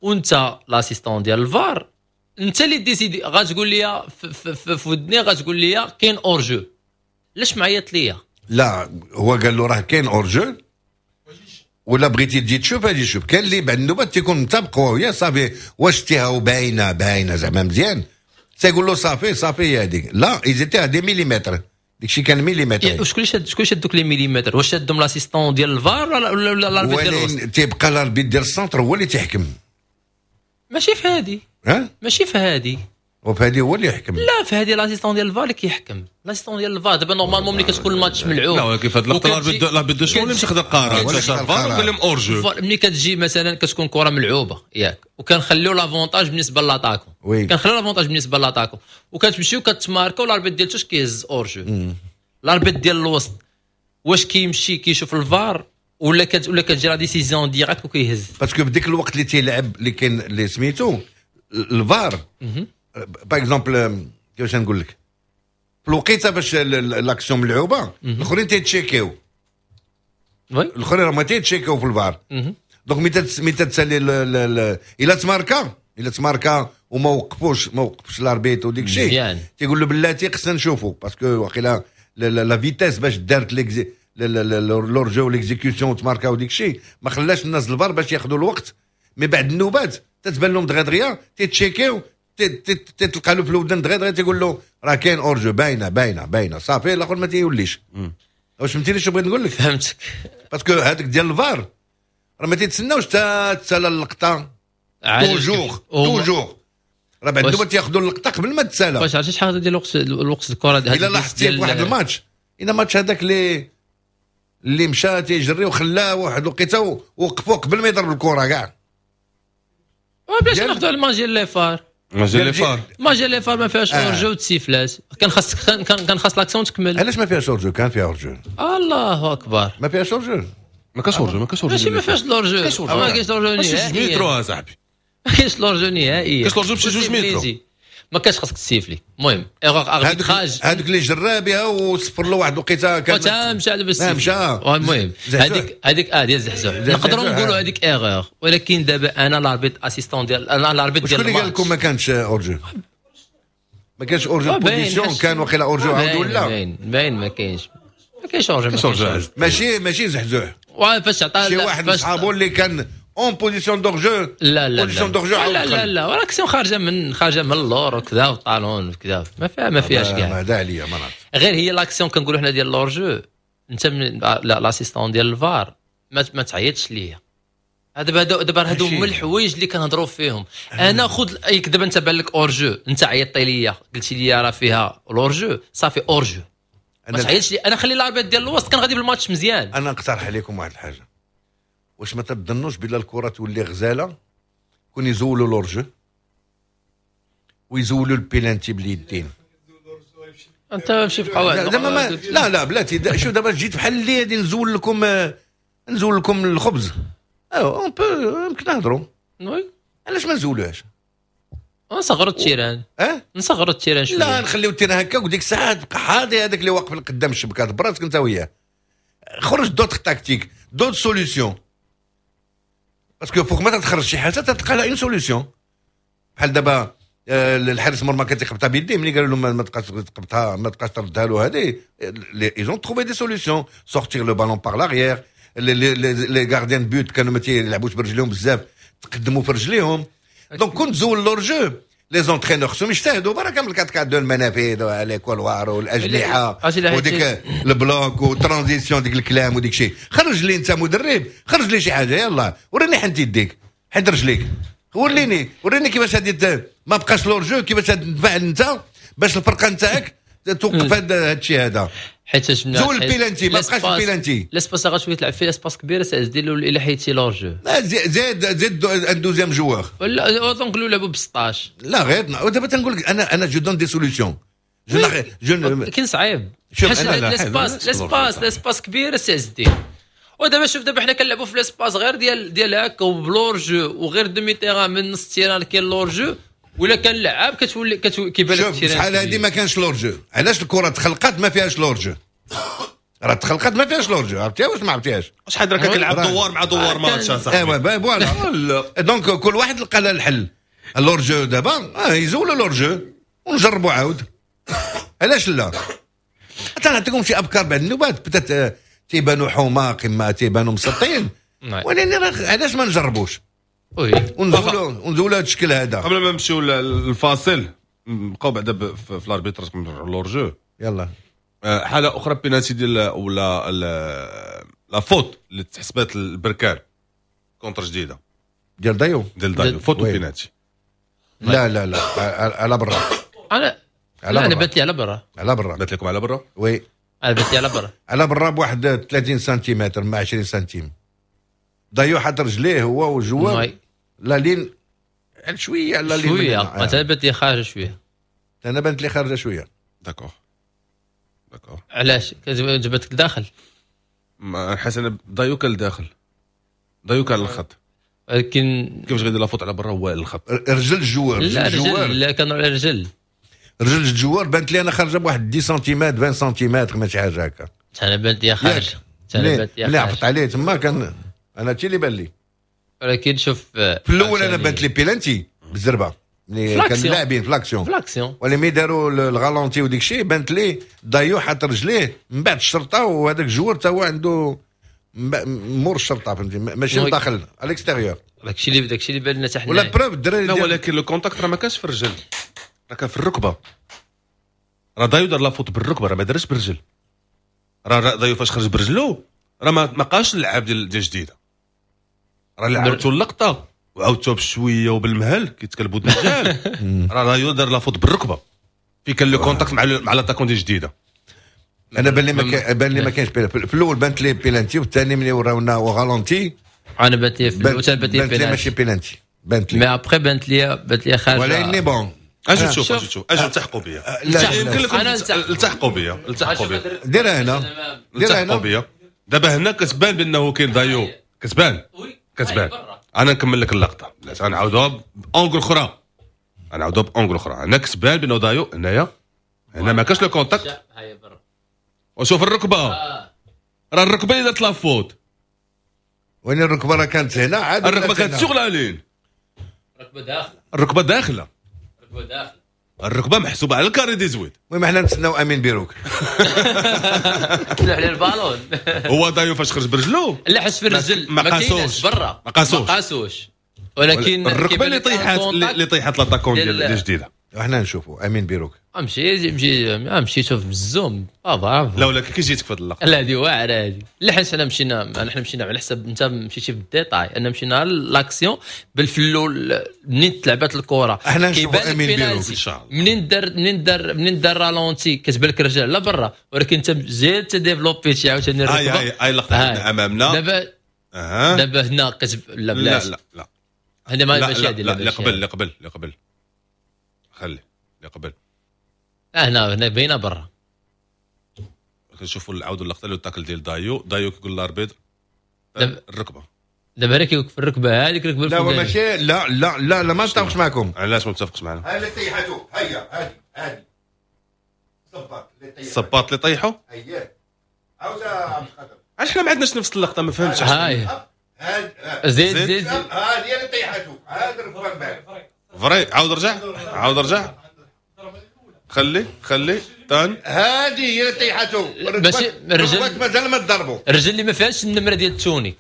وانت l'assistant ديال الفار انت اللي décider. غتقول لي في ودني، غتقول لي كاين hors-jeu، علاش معيط ليا؟ لا، هو قال له راه كاين hors-jeu، ولا بغيتي تجي تشوف اجي شوف. كاين اللي بعد النوبات تيكون متفق هو وياه، صافي واش تيها وباينه باينة زعما مزيان، تيقول له صافي صافي هي هذيك. لا، ils étaient à des millimètres، داكشي كان مليمتر. شكون شاد دوك les millimètres؟ واش شادهم l'assistant ديال الفار ولا l'arbitre ديال الوسط؟ تيبقى l'arbitre ديال ال centre هو اللي تيحكم. ماشي في هادي. ها. ماشي في هادي. وفي هذه هو اللي يحكم. لا، في هذه l'assistant ديال الفار اللي كيحكم، l'assistant ديال الفار. دابا normalement ملي كتكون الماتش ملعوب لا، ولكن في هذه اللقطة l'arbitre de champ اللي مشى خدا القرار، مشى الفار وقال لهم hors-jeu. ملي كتجي مثلا كتكون كره ملعوبه ياك، وكنخليو l'avantage بالنسبة l'attaquant، كنخليو l'avantage بالنسبة l'attaquant، وكتمشيو كتماركو، l'arbitre ديال touche كيهز hors-jeu. l'arbitre ديال الوسط واش كيمشي كيشوف الفار ولا كتجي la décision directe وكيهز؟ parce que بديك الوقت اللي تيلعب اللي كاين اللي سميتو الفار، par exemple كيفاش نقول لك، في الوقيته باش l'action ملعوبه الاخرين تيتشيكيو، الاخرين راهم تيتشيكيو في الفار. donc ملي تتسالي، الا تماركا وما وقفوش، ما وقفش l'arbitre وديك الشيء، تيقول له بلاتي خصنا نشوفوا، parce que واقيلا la vitesse باش دارت l'hors-jeu، l'exécution، تماركا وديك الشيء، ما خلاش الناس الفار باش ياخذوا الوقت. mais بعد النوبات تتبان لهم دغيا دغيا تيتشيكيو، تتلقى له في الودن دغيا دغيا تيقول له راه كاين hors-jeu، باينة باينة باينه، صافي الاخر ما تيوليش. واش فهمتيني شنو بغيت نقول لك؟ فهمتك. parce que هذاك ديال الفار راه ما تيتسناوش حتى تسالى اللقطه toujours toujours، راه بعد النوبات تياخذوا اللقطة قبل ما تسالى. واش عرفتي شحال ديال الوقت الكره؟ الا لاحظتي في واحد الماتش، الى ماتش هذاك اللي مشى تيجري وخلاه واحد الوقيته وقفوه قبل ما يضرب الكره كاع. بلاش ناخذوا الماتش ديال les FAR. ماتش ديال les FAR. ماتش ديال les FAR ما فيهاش hors-jeu، تسيفلات، كان خاص l'action تكمل. علاش ما فيهاش hors-jeu؟ كان فيها hors-jeu. الله اكبر. ما فيهاش hors-jeu. ما كاش hors-jeu، ما كاش hors-jeu. ماشي ما فيهاش l'hors-jeu، ما كاينش l'hors-jeu نهائيا. مترو اصاحبي. ما كاينش l'hors-jeu نهائيا. كاش l'hors-jeu بشي 2 متر. ما كانش خاصك تسيفلي. المهم erreur arbitrage. هذوك اللي جرى بها وصفر له واحد الوقيته. كان مشى على بالسيف. مشى. المهم هذيك ديال زحزوح نقدروا نقولوا هذيك erreur، ولكن دابا انا l'arbitre assistant ديال انا l'arbitre ديال شكون اللي قال لكم ما كانش hors-jeu؟ ما كانش hors-jeu position، كان وقيلا hors-jeu عاود ولا باين باين، ما كاينش hors-jeu. ما كاينش. ماشي زحزوح. فاش عطى شي واحد من صحابو اللي كان en position d'hors-jeu. لا لا. position d'hors-jeu. لا لا لا، ولكن خارجه من اللور وكذا وال talon وكذا، ما فيهاش كاع. ما دا عليا ما نعرف. غير هي l'action كنقولوا حنا ديال l'hors-jeu، انت من l'assistant ديال الفار ما تعيطش ليا. هذا دابا هادو هما الحوايج اللي كنهضروا فيهم. انا خذ دابا انت بان لك hors-jeu، انت عيطتي ليا قلتي لي راه فيها l'hors-jeu، صافي hors-jeu. ما تعيطش لي انا، خلي l'arbitre ديال الوسط، كان غادي بالماتش مزيان. انا نقترح عليكم واحد الحاجه، واش ما تظنوش بلا الكره تولي غزاله كون يزولوا l'hors-jeu ويزولوا البيلانتي باليدين؟ انت ماشي في قواعد. زعما ما لا لا بلاتي، شوف دابا جيت بحال اللي غادي نزول لكم الخبز. on peut يمكن نهضروا. oui. علاش ما نزولوهاش؟ نصغروا ال terrain. اه. نصغروا ال terrain شويه. لا، نخليو ال terrain هكا، وديك الساعة تبقى حاضي هذاك اللي واقف قدام الشبكة براسك انت وياه. خرج d'autres tactiques، d'autres solutions، parce que فوق ما تخرج شي حاجة تلقى لها une solution بحال دابا. الحارس المرمى كان تيخبطها بيديه، ملي قالوا لهم ما تبقاش تخبطها، ما تبقاش تردها له، هذه ils ont trouvé des solutions، sortir le ballon par l'arrière، les gardiens de but كانوا ما تيلعبوش برجليهم بزاف، تقدموا في رجليهم. donc كنت زول l'hors-jeu، les entraîneurs خصهم يجتهدوا بركة من 4 4 2، المنافذ، les couloirs والاجنحه وديك ال bloc و transition، ديك الكلام وديك الشيء. خرج لي انت مدرب، خرج لي شي حاجه، يلا وريني حنت يديك، حد رجليك، وريني وريني كيفاش غادي ما بقاش l'hors-jeu، كيفاش تفعل انت باش الفرقة نتاعك توقف هذا الشيء هذا. حيت زول البيلانتي، ما بقاش ال penalty. l'espace غتولي تلعب فيه l'espace كبير دير الا حيدتي l'hors-jeu. زيد زيد un deuxième joueur. ولا نقولوا لعبوا ب 16. لا غير ودابا تنقول لك انا je donne des solutions، je je كاين صعيب. شوف l'espace l'espace l'espace كبير سي عز الدين. ودابا شوف، دابا حنا كنلعبوا في l'espace غير ديال هكا وب l'hors-jeu وغير demi-terrain، من نص terrain كاين l'hors-jeu، ولا كان لعاب كتولي كيبان لك. شوف شحال هذه ما كانش l'hors-jeu. علاش الكره تخلقات ما فيهاش l'hors-jeu؟ راه تخلقات ما فيهاش l'hors-jeu، عرفتيها واش ما عرفتيهاش؟ شحال راه كتلعب دوار مع دوار ماتش صاحبي. ايوا voilà، donc كل واحد لقى له الحل. l'hors-jeu دابا يزولوا l'hors-jeu ونجربوا عاود، علاش لا؟ حتى نعطيكم شي افكار بعد النوبات، peut-être تيبانوا حماق اما تيبانوا مسطين، ولكن علاش ما نجربوش oui ونزولوا هذا الشكل هذا. قبل ما نمشيو للفاصل، نبقاو بعدا في l'arbitrage، l'hors-jeu. يلا. حاله اخرى، بينالتي ديال ولا la faute اللي تحسبات البركان contre جديده. ديال دايو. ديال دايو، faute penalty. لا لا لا، على برا. انا على انا بانت لي على برا. على برا. بانت لكم على برا؟ oui. انا بانت لي على برا. على برا بواحد 30 سنتيمتر مع 20 سنتيم. دايو حط رجليه هو وال joueur la ligne شوية على la ligne. شويه، انا بانت لي خارجه شويه. انا بانت لي خارجه شويه. d'accord d'accord. علاش جبتك داخل؟ حاسس انا دايو كان لداخل، دايو كان الخط. ولكن كيفاش غيدير la faute على برا هو الخط؟ رجل ال joueur. لا رجل، لا كانوا على رجل. رجل ال joueur بانت لي انا خارجه بواحد 10 سنتيمتر، 20 سنتيمتر، ماشي حاجة هكا. انا بانت لي خارجه. انا بانت لي عفط عليه تما كان انا هادشي اللي بان لي. ولكن شوف في الاول انا بانت لي بيلانتي بالزربه ملي كان لاعبين في l'action. في l'action. ولا مي داروا ال ralenti وديك الشيء، بانت لي دايو حط رجليه من بعد الشرطه، وهذاك ال joueur تا هو عنده مور الشرطه، فهمتي؟ ماشي داخل à l'extérieur. داكشي اللي بان لنا حتى حنا. ولا preuve الدراري. لا ولكن le contact راه ما كانش في الرجل، راه كان في الركبة. راه دايو دار la faute بالركبه، راه ما دارش بالرجل. راه دايو فاش خرج برجلو راه ما قاش اللعاب ديال جديده. راه لعبتو اللقطة وعاودتوها بشوية وبالمهل كيتكلبوا الدجال. راه دايو دار la faute بالركبه في كان le contact مع l'attaquant ديال جديده. انا بان لي ما بان لي ما كاينش في الاول، بانت لي بيلانتي، والثاني ملي وراونا ralenti انا بانت لي في الاول بانت لي ماشي بيلانتي، بانت لي mais après بانت لي خارجه. ولكن bon اجي تشوف، اجي تشوف، اجي التحقوا بيا. يمكن لكم التحقوا بيا، التحقوا بيا. ديرها هنا، ديرها هنا بيا. دابا هنا كتبان بانه كاين دايو، كتبان كتبان. انا نكمل لك اللقطة، غنعاودوها ب angle اخرى، غنعاودوها ب angle اخرى. هنا كتبان بانه دايو هنايا، هنا ما كاش le contact. وشوف الركبة، راه الركبة اللي دارت la faute. وين الركبة؟ راه كانت هنا عاد. الركبة كانت sur la ligne. الركبة داخله، الركبة داخله، الركبة داخله، الركبة محسوبة على ال carré dix-huit. المهم حنا نتسناو امين بيروك. تلوح على البالون. هو دايو فاش خرج برجلو لا حس في الرجل ما قاسوش برا، ما قاسوش، ما قاسوش. ولكن الركبة اللي طيحت l'attaquant ديال جديده. وحنا نشوفوا امين بيروك. امشي امشي امشي شوف بال zoom. برافو. لا ولكن كي جيتك في هذه اللقطة؟ لا هذه واعرة هذه. لا حيت حنا مشينا على حسب انت مشيتي بال détail، انا مشينا l'action بالفلول منين تلعبات الكره. احنا نشوفوا امين بيروك ان شاء الله. منين دار ralenti كتبان لك الرجال لا برا، ولكن انت زيد تديفلوبيتي عاوتاني الركبة. هاي هاي اللقطة امامنا دابا. دابا هنا كتب لا بلاش. لا لا لا هنا ماشي هذه. لا، اللي قبل، اللي قبل، اللي قبل، خلي اللي قبل. هنا باينة برا. كنشوفوا عاودوا اللقطه، le tacle ديال دايو. دايو كيقول l'arbitre الركبه. دابا هنا كيوقف الركبة هذيك الركبه. لا ماشي، لا لا لا لا، ما نتفقش معكم. علاش ما متفقش معنا؟ هاي اللي طيحته، هيا هذه هذه الصباط اللي طيحو. الصباط اللي طيحو. اييه، عاود عبد القادر. علاش حنا ما عندناش نفس اللقطه؟ ما فهمتش. هاي، زيد زيد. هذه اللي طيحته، هذا الركبة من بعد. vrai. عاود رجع، عاود رجع، خلي خلي تان هذه هي اللي طيحاتو. ماشي الرجل مازال ما تضربوا. الرجل اللي ما فيهاش النمرة ديال التوني.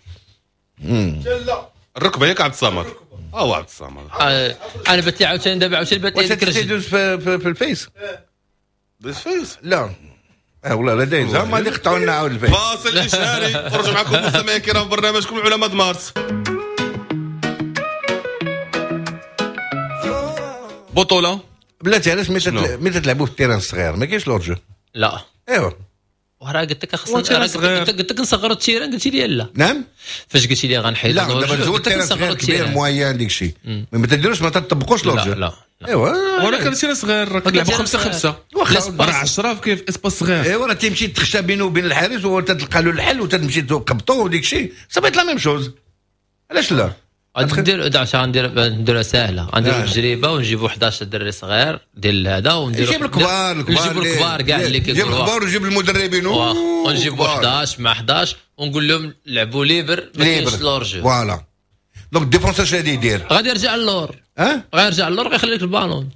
لا الركبة ياك عبد الصمد. هو عبد الصمد. انا بات لي عاوتاني دابا، عاوتاني بات لي هذيك الرجل تيدوز في الفيس. داز فيس؟ لا والله لا دايز، هما اللي قطعوا لنا عاود الفيس. فاصل اشهاري ونرجع معكم مستمعينا الكرام في برنامجكم العلماء د مارس. بطوله بلاتي علاش ملي تلعبوا في ال terrain الصغير ما كاينش l'hors-jeu؟ لا ايوا وراه قلت لك خصنا، قلت لك نصغروا ال terrain، قلتي لي لا. نعم فاش قلتي لي غنحيد لا دابا زول ال terrain صغير كبير moyen ديك الشيء ما تديروش، ما تطبقوش l'hors-jeu. لا لا ايوا ولكن ال terrain صغير راه كنلعبوا 5 5 راه 10 كاين في espace صغير. ايوا راه تمشي تخشى بينه وبين الحارس وتلقى له الحل وتمشي تقبطو وديك الشيء ça va être la même chose. علاش لا؟ غندير نديرها ساهله، غنديروا تجربه ونجيبوا 11 دري صغير ديال هذا، ونديروا نجيب الكبار، نجيبوا الكبار كاع اللي كيقولوا، نجيب الكبار ونجيب المدربين ونجيبوا 11 مع 11 ونقول لهم لعبوا libre، ما كاينش l'hors-jeu. voilà donc ال défenseur اش غادي يدير؟ غادي يرجع للور. اه غيرجع للور غيخلي لك البالون.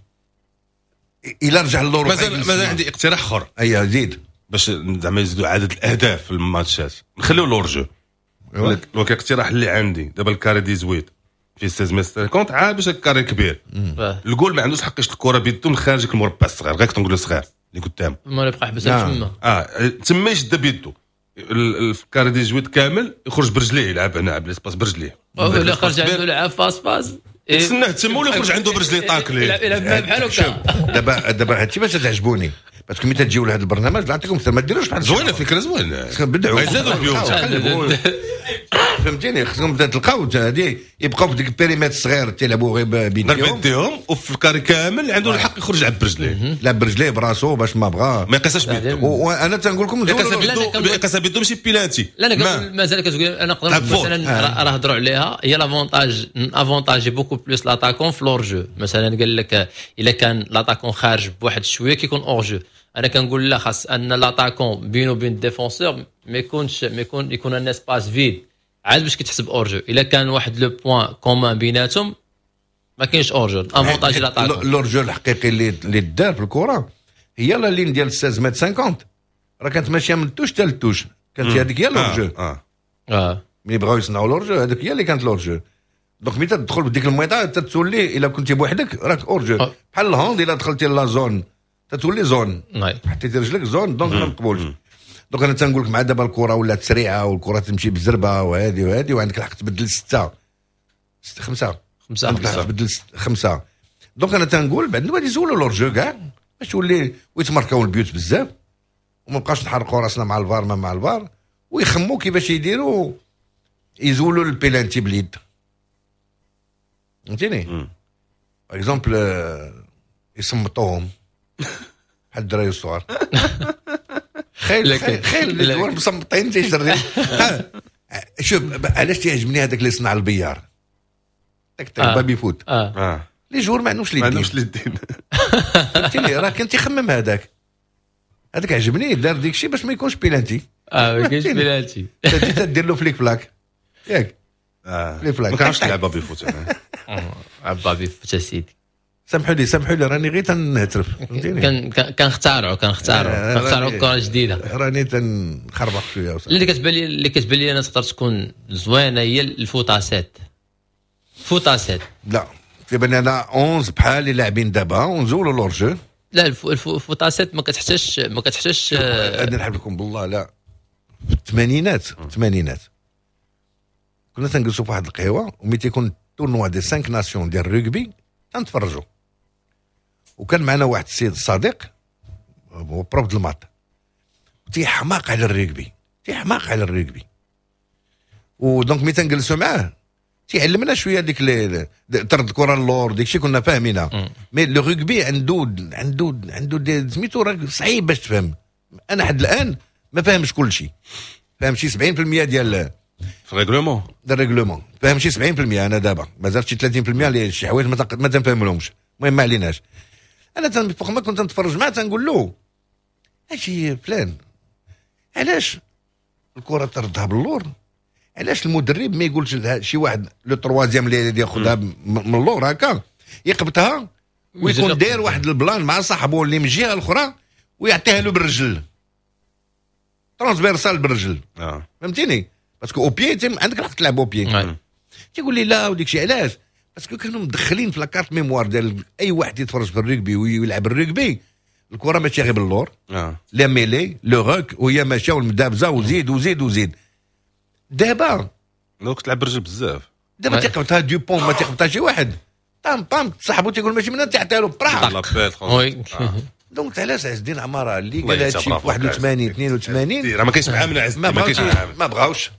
الا رجع للور مازال عندي اقتراح اخر. ايوا زيد باش زعما يزيدوا عدد الاهداف في الماتشات، نخليو l'hors-jeu. ولكن الاقتراح اللي عندي دابا ال carré dix-huit في 16 متر 50 عاد باش ال carré كبير، الجول ما عندوش حق يشد الكره بيدو من خارج المربع الصغير، غير كنقولوا صغير اللي قدام ما يبقى يحبسها تما. تما يشد بيدو ال carré dix-huit كامل، يخرج برجليه يلعب هنا على l'espace برجليه، ولا خرج عنده لعب face face تسناه تما ولا يخرج عنده برجليه tacler يلعب بحال هكا. دابا هادشي باش تعجبوني parce que ملي تجيو لهذا البرنامج نعطيكم ما ديروش بحال زوينة، فكرة زوينة بدعوا يزادوا البيوت فهمتيني. خصهم تلقاو هذه يبقاو في ديك ال périmètre الصغير تيلعبوا غير بيديهم، وفي ال carré كامل عنده الحق يخرج يلعب برجليه، لعب برجليه براسو باش ما بغا ما يقيسش بيدو. وانا تنقول لكم يقيسها بيدو ماشي بيلانتي. لا انا مازال كتقول انا نقدر مثلا راه هضروا عليها هي l'avantage، avantager beaucoup plus l'attaquant في l'hors-jeu. مثلا قال لك الا كان l'attaquant خارج بواحد شوية كيكون hors-jeu، انا كنقول لا خاص ان l'attaquant بينو وبين ال défenseur ما يكونش، ما يكون يكون un espace vide عاد باش كتحسب hors-jeu. الا كان واحد le point commun بيناتهم ما كاينش hors-jeu، avantage l'attaquant. l'hors-jeu الحقيقي اللي دار في الكره هي la ligne ديال 16 متر 50 راه كانت ماشية من ال touche حتى لل touche، كانت هذيك هي l'hors-jeu. ملي بغاو يصنعوا l'hors-jeu هذيك هي اللي كانت l'hors-jeu. donc ملي تدخل بديك الميطه تتولي الا كنتي بوحدك راك hors-jeu. بحال ال hand الا دخلتي la zone تتولي zone، حطيتي رجلك zone donc ما مقبولش. donc انا تنقول لك مع دابا الكره ولات سريعة والكره تمشي بالزربه وهذه وهذه، وعندك الحق تبدل 6 5 5 عندك الحق تبدل 5. donc انا تنقول بعد غادي يزولوا l'hors-jeu كاع باش تولي ويتماركاو البيوت بزاف وما بقاش نحرقوا راسنا مع الفار ما مع الفار، ويخموا كيفاش يديروا يزولوا البيلانتي باليد فهمتيني. par exemple يصمتوهم بحال الدراري الصغار. خيل خيل les joueurs مصمتين تيجري. شوف علاش تيعجبني هذاك اللي صنع البيار داك baby-foot. les joueurs ما عندهمش لي الدين فهمتيني. راه كان تيخمم هذاك عجبني دار ديك الشيء باش ما يكونش بيلانتي. ما كاينش بيلانتي تدير له flic flac ياك. flic flac ما كنعرفش نلعب baby-foot انا. baby-foot اسيدي. سامحوا لي راني غير تنهترف فهمتيني. كنختارعوا كره جديدة، راني تنخربق شوية. اللي كتبان لي انا تقدر تكون زوينة هي ال foot à sept. foot à sept لا تيبان لي انا 11 بحال اللي لاعبين دابا ونزولوا l'hors-jeu. لا ال foot à sept ما كتحتاجش. انا نحب لكم بالله لا في الثمانينات كنا تنجلسوا في واحد القهوة وملي تيكون tournoi des 5 nations ديال الرugby تنتفرجوا، وكان معنا واحد السيد الصديق هو prof د ال maths تيحماق على الرugby و donc ملي تنجلسوا معاه تيعلمنا شوية ديك طرد الكره اللور ديك الشيء كنا فاهمينها. mais le rugby عنده عنده عنده سميتو راه صعيب باش تفهم. انا حد الان ما فاهمش كل شيء، فاهم شي 70% ديال ال règlement ديال ال règlement، فاهم شي 70%. انا دابا مازال شي 30% اللي شي حوايج ما تنفهملهمش. المهم ما عليناش. انا فوق ما كنت نتفرج معاه تنقول له اجي فلان علاش الكره تردها باللور، علاش المدرب ما يقولش شي واحد le troisième اللي ياخذها من اللور هكا يقبطها ويكون داير واحد ال plan مع صاحبه اللي من الجهة الاخرى ويعطيها له بالرجل transversale بالرجل. فهمتيني؟ parce que au pied عندك الحق تلعب au pied. تيقول لي لا وديك الشيء علاش؟ parce que كانوا مدخلين في la carte mémoire ديال اي واحد يتفرج في الرugby ويلعب الرugby الكره ماشي غير باللور. la mêlée le ruck وهي ماشية والمدابزه وزيد وزيد وزيد. دابا donc تلعب بالرجل بزاف. دابا تيقبطها دوبون ما تيقبطها شي واحد طام طام صاحبو تيقول ماشي من تعطيها له برا. donc علاش عز الدين عمارة اللي قال هادشي في 81 82 راه ما كاينش معاه من عز الدين، ما كاينش معاه، ما بغاوش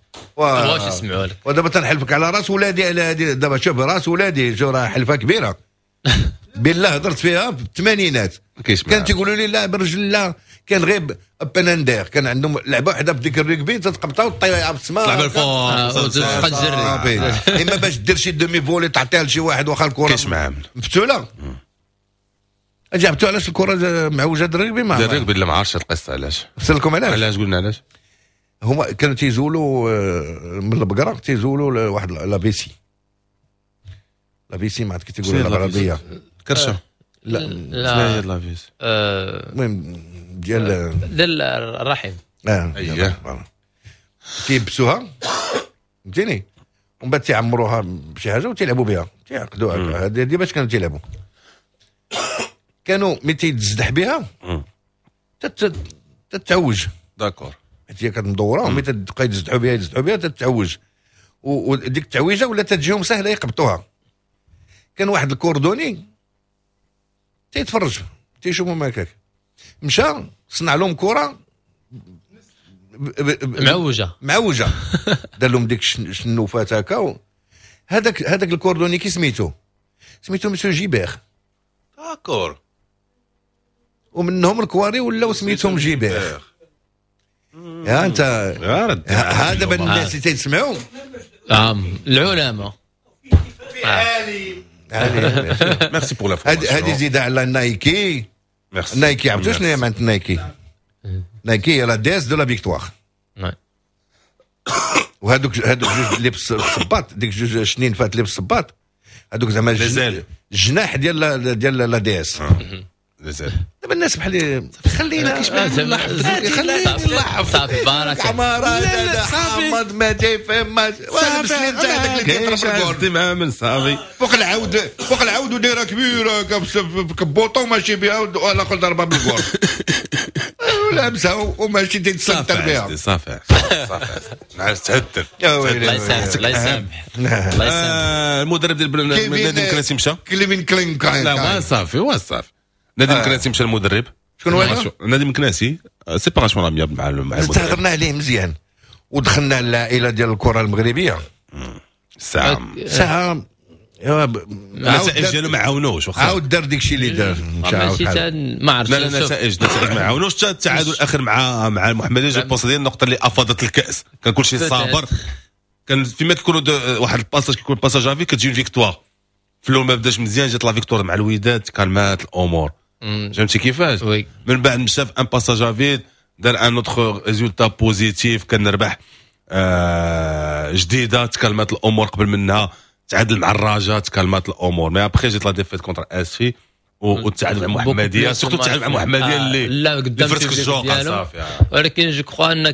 يسمعوا لك. ودابا تنحلفك على راس ولادي على هادي. دابا شوف راس ولادي شو راه حلفه كبيرة بالله هضرت فيها في الثمانينات. كان تيقولوا لي لا بالرجل لا، كان غير بناندير كان عندهم لعبه وحده في ديك الركبي تتقبطها وتطيعها في السماء تلعب الفوق تجري، اما باش دير شي demi-volée تعطيها لشي واحد واخا الكره كاينش معاه مفتوله. جابتو علاش الكره معوجة الركبي؟ ما الركبي لا ما عرفتش القصة علاش. فسر لكم علاش. علاش قلنا علاش؟ هما كانوا تيزولوا من البقرة تيزولوا واحد la vessie la vessie ما عرفت كي تيقولوا بالعربية كرشه. لا لا هي la vessie المهم ديال الرحم. اييه تيبسوها فهمتيني ومن بعد تيعمروها بشي حاجة وتيلعبوا بها تيعقدوها. هذه باش كانوا تيلعبوا. كانوا ملي تيتزدح بها تتعوج. d'accord حيت هي كتمدوره وملي تبقى يتزدحوا بها يتزدحوا بها تتعوج، وديك التعويجه ولا تجيهم سهلة يقبطوها. كان واحد ال cordonnier تيتفرج تيشوفهم هكاك، مشى صنع لهم كره معوجة معوجة دار لهم ديك الشنوفات هكا. هذاك ال cordonnier كي سميتو monsieur Gibert. d'accord. ومنهم الكواري ولاو سميتهم Gibert. يا انت هذا بان الناس اللي تيسمعوا العلماء. merci pour la هذه زيد على Nike. Nike عرفتوا شنو هي معنات Nike؟ Nike هي la déesse de la victoire. وهذوك جوج اللي بالصباط، ديك جوج شنين فات اللي بالصباط، هذوك زعما الجناح ديال la déesse. دابا الناس بحال خلينا خلينا صافي بارك عمارة هذا حامض ما تيفهم ما هذاك اللي كيضرب الجول صافي فوق العود فوق العود ودايره كبيرة كبوطو ماشي بها والاخر ضربها بالجول ولابسها وماشي تيتسنتر بها. صافي صافي نعس تهدر. الله يسامح الله يسامح الله يسامح. المدرب ديال نادي مكناسي مشى كليفين كلين. لا ما صافي هو صافي. نادي مكناسي مشى المدرب. شكون هو؟ نادي مكناسي séparation amiable مع المدرب. تهضرنا عليه مزيان ودخلنا العائلة ديال الكره المغربية. ساعة النتائج ديالو ما عاونوش. عاود دار داكشي اللي دار ماشي ما عرفتش. لا لا النتائج ما عاونوش. حتى التعادل الاخر مع المحمدية je pense ديال النقطة اللي افاضت الكاس. كان كلشي صابر. كان فيما كيكونوا واحد ال passage كيكون passage à vide كتجي victoire. في الاول ما بداش مزيان جات la victoire مع الوداد كالمات الامور. فهمتي كيفاش؟ من بعد مشى في un passage à vide دار un autre résultat positif كان ربح جديدة تكالمات الامور. قبل منها تعادل مع الرجاء تكالمات الامور. mais après جات la défaite contre اسفي والتعادل مع المحمدية، surtout التعادل مع المحمدية اللي لا قدام ديالو. ولكن je crois ان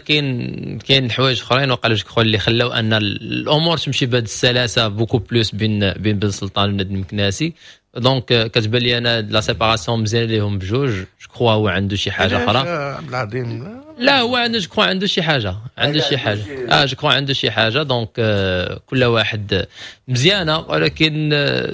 كاين حوايج اخرين وقال je crois اللي خلاو ان الامور تمشي بهذه السلاسة beaucoup plus بين بن سلطان ونادي المكناسي. donc كتبان لي انا la séparation مزيان ليهم بجوج. je crois هو عنده شي حاجة اخرى عبد العظيم. لا هو عنده je crois عنده شي حاجة عنده شي حاجة je crois عنده شي حاجة. donc كل واحد مزيانه، ولكن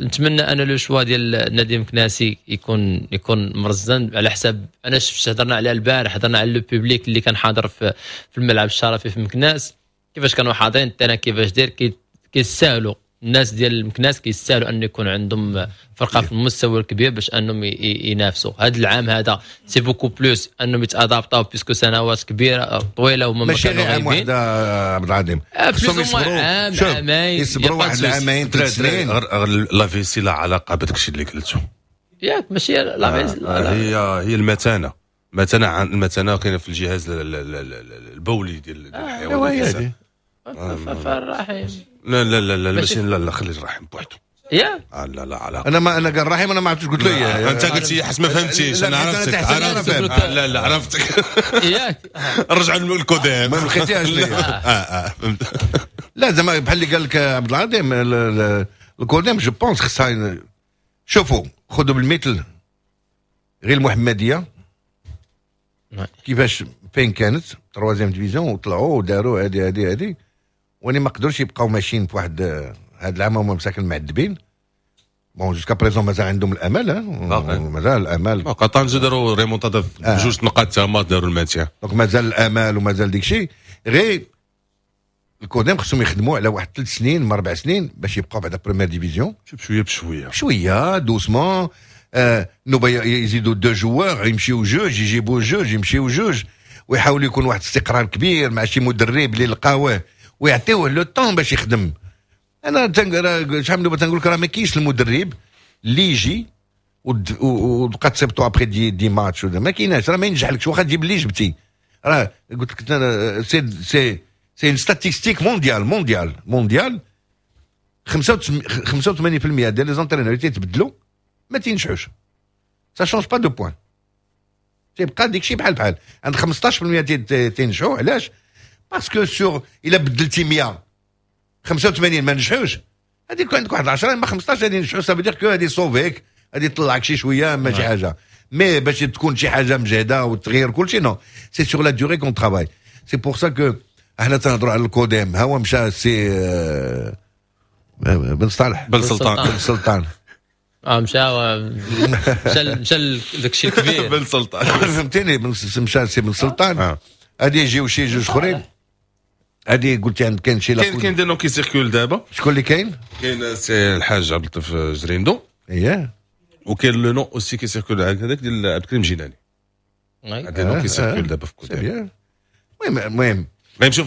نتمنى انا le choix ديال نادي مكناسي يكون مرزن على حساب. انا شفت هضرنا عليها البارح، هضرنا على le public اللي كان حاضر في الملعب الشرفي في مكناس، كيفاش كانوا حاضرين ال terrain كيفاش داير. كيسالوا الناس ديال المكناس كيستاهلوا ان يكون عندهم فرقه في المستوى الكبير باش انهم ينافسوا هذا العام. هذا c'est beaucoup plus انهم يتادابطاو puisque سنوات كبيرة طويلة وما ماشي غير عام واحد عبد العظيم، خصهم يصبروا عام عامين، يصبروا واحد العامين 3 سنين. la vessie لا علاقة بداك الشيء اللي قلته ياك، ماشي la vessie هي المتانه. المتانه المتانه كاينه في الجهاز البولي ديال الحيوان. فالرحم لا لا لا لا ماشي، لا لا خلي الرحم بوحدو. يا لا لا علاقة. انا ما انا قال رحيم، انا ما عرفتش قلت له إيه. انت قلت حس ما فهمتيش. انا عرفتك، عرفتك. لا لا عرفتك. ياك رجعوا للكوديم ما لقيتيهاش ليا. فهمت. لا زعما بحال اللي قال لك عبد العظيم، الكوديم je pense خصها، شوفوا خذوا بالمثل غير المحمدية كيفاش فين كانت troisième division وطلعوا وداروا هادي هادي هادي، وني ما قدروش يبقاو ماشيين في واحد هاد العام، هما مساكن معذبين. bon jusqu'à présent مازال عندهم الامل، مازال الامل. طنجة داروا ريمونتادا بجوج نقاط، تما داروا ال maintien. donc مازال الامل ومازال ديك الشيء. غير الكوديم خصهم يخدموا على واحد 3 سنين ما 4 سنين باش يبقاو بعدا première division. شوية بشويه. شوية doucement، نوبا يزيدوا deux joueurs، يمشيو جوج، يجيبوا جوج، يمشيو جوج، ويحاولوا يكون واحد الاستقرار كبير مع شي مدرب اللي لقاوه ويعطيوه le temps باش يخدم. انا شحال من تنقول لك راه ما كاينش المدرب اللي يجي وتبقى تصيبطو après 10 matchs، ما كايناش، راه ما ينجحلكش واخا تجيب اللي جبتي. راه قلت لك c'est une statistique mondiale mondiale mondiale، 85% ديال les entraîneurs اللي تيتبدلوا ما تينجحوش. ça change pas de point، تيبقى ديك الشيء بحال بحال. عند 15% تينجحوا. علاش؟ parce que sûr الا بدلتي 100، 85 ما نجحوش، هذيك عندك واحد 10 ما 15 غادي ينجحوا. ça veut dire que هذه sauver ك، غادي يطلعك شي شوية ما شي حاجه، mais باش تكون شي حاجة مجهده وتغير كل شيء، non، c'est sur la durée qu'on travaille. c'est pour ça que احنا تنهضروا على الكوديم. ها هو مشى سي بن صالح. بن سلطان. بن سلطان. اه مشى داك الشيء الكبير. بن سلطان. فهمتيني، مشى سي بن سلطان، غادي يجيو شي جوج اخرين. هذه قلت عند كاين شي كاين des noms qui circulent دابا. شكون اللي كاين؟ كاين سي الحاج عبد اللطيف جريندو. اييه. وكاين le nom aussi qui circule هذاك ديال عبد الكريم جيلاني. des noms qui circulent دابا في كوديم. المهم المهم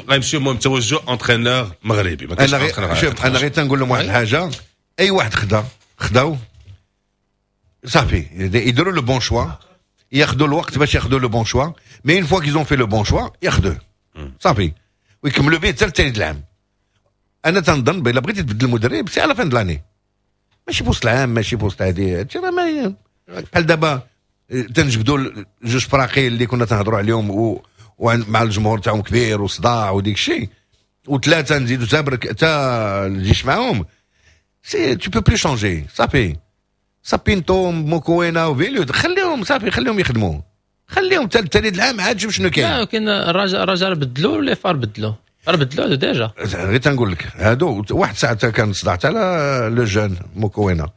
غيمشيو المهم توجه entraîneur مغربي. ما انا غير شوف، انا غير تنقول لهم واحد الحاجه، اي واحد خدا خداو صافي، يديروا le bon choix، ياخذوا الوقت باش ياخذوا le bon choix، mais une fois qu'ils ont fait le bon choix ياخذوه صافي ويكملوا به حتى الثاني العام. انا تنظن بلا بغيتي تبدل المدرب c'est à la fin de l'année، ماشي في وسط العام، ماشي في وسط هذه. هادشي راه ما بحال دابا تنجبدوا جوج فراقي اللي كنا تنهضروا عليهم ومع الجمهور تاعهم كبير وصداع وديك الشيء، وثلاثة نزيدوا تا تا الجيش معاهم، c'est tu peux plus changer. صافي، سابينتو، موكوينا وفيليو، خليهم صافي، خليهم يخدموا، خليهم حتى الثاني العام عاد شوف شنو كاين. لا ولكن الرجاء بدلوا les FAR، بدلوا راه بدلوا déjà. غير تنقول لك هادو واحد ساعة كان صداع على le jeune موكوينا،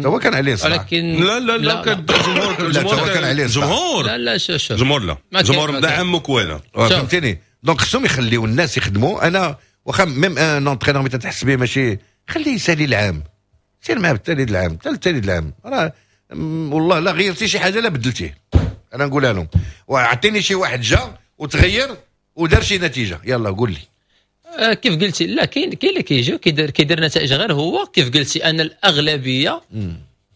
هو كان عليه صداع. ولكن لا لا لا، كان الجمهور. الجمهور كان عليه صداع. الجمهور لا لا، شوف شوف. الجمهور لا، الجمهور مدعم موكوينا. فهمتيني، donc خصهم يخليو الناس يخدموا. انا واخا même un entraîneur ملي تحس به ماشي، خليه يسالي العام، سير معاه بالتالي العام حتى التالي العام. راه والله لا غيرتي شي حاجة لا بدلتيه. انا نقولها لهم، واعطيني شي واحد جا وتغير ودار شي نتيجه، يلا قول لي. كيف قلتي، لا كاين اللي كيجي كيدير نتائج، غير هو كيف قلتي ان الاغلبية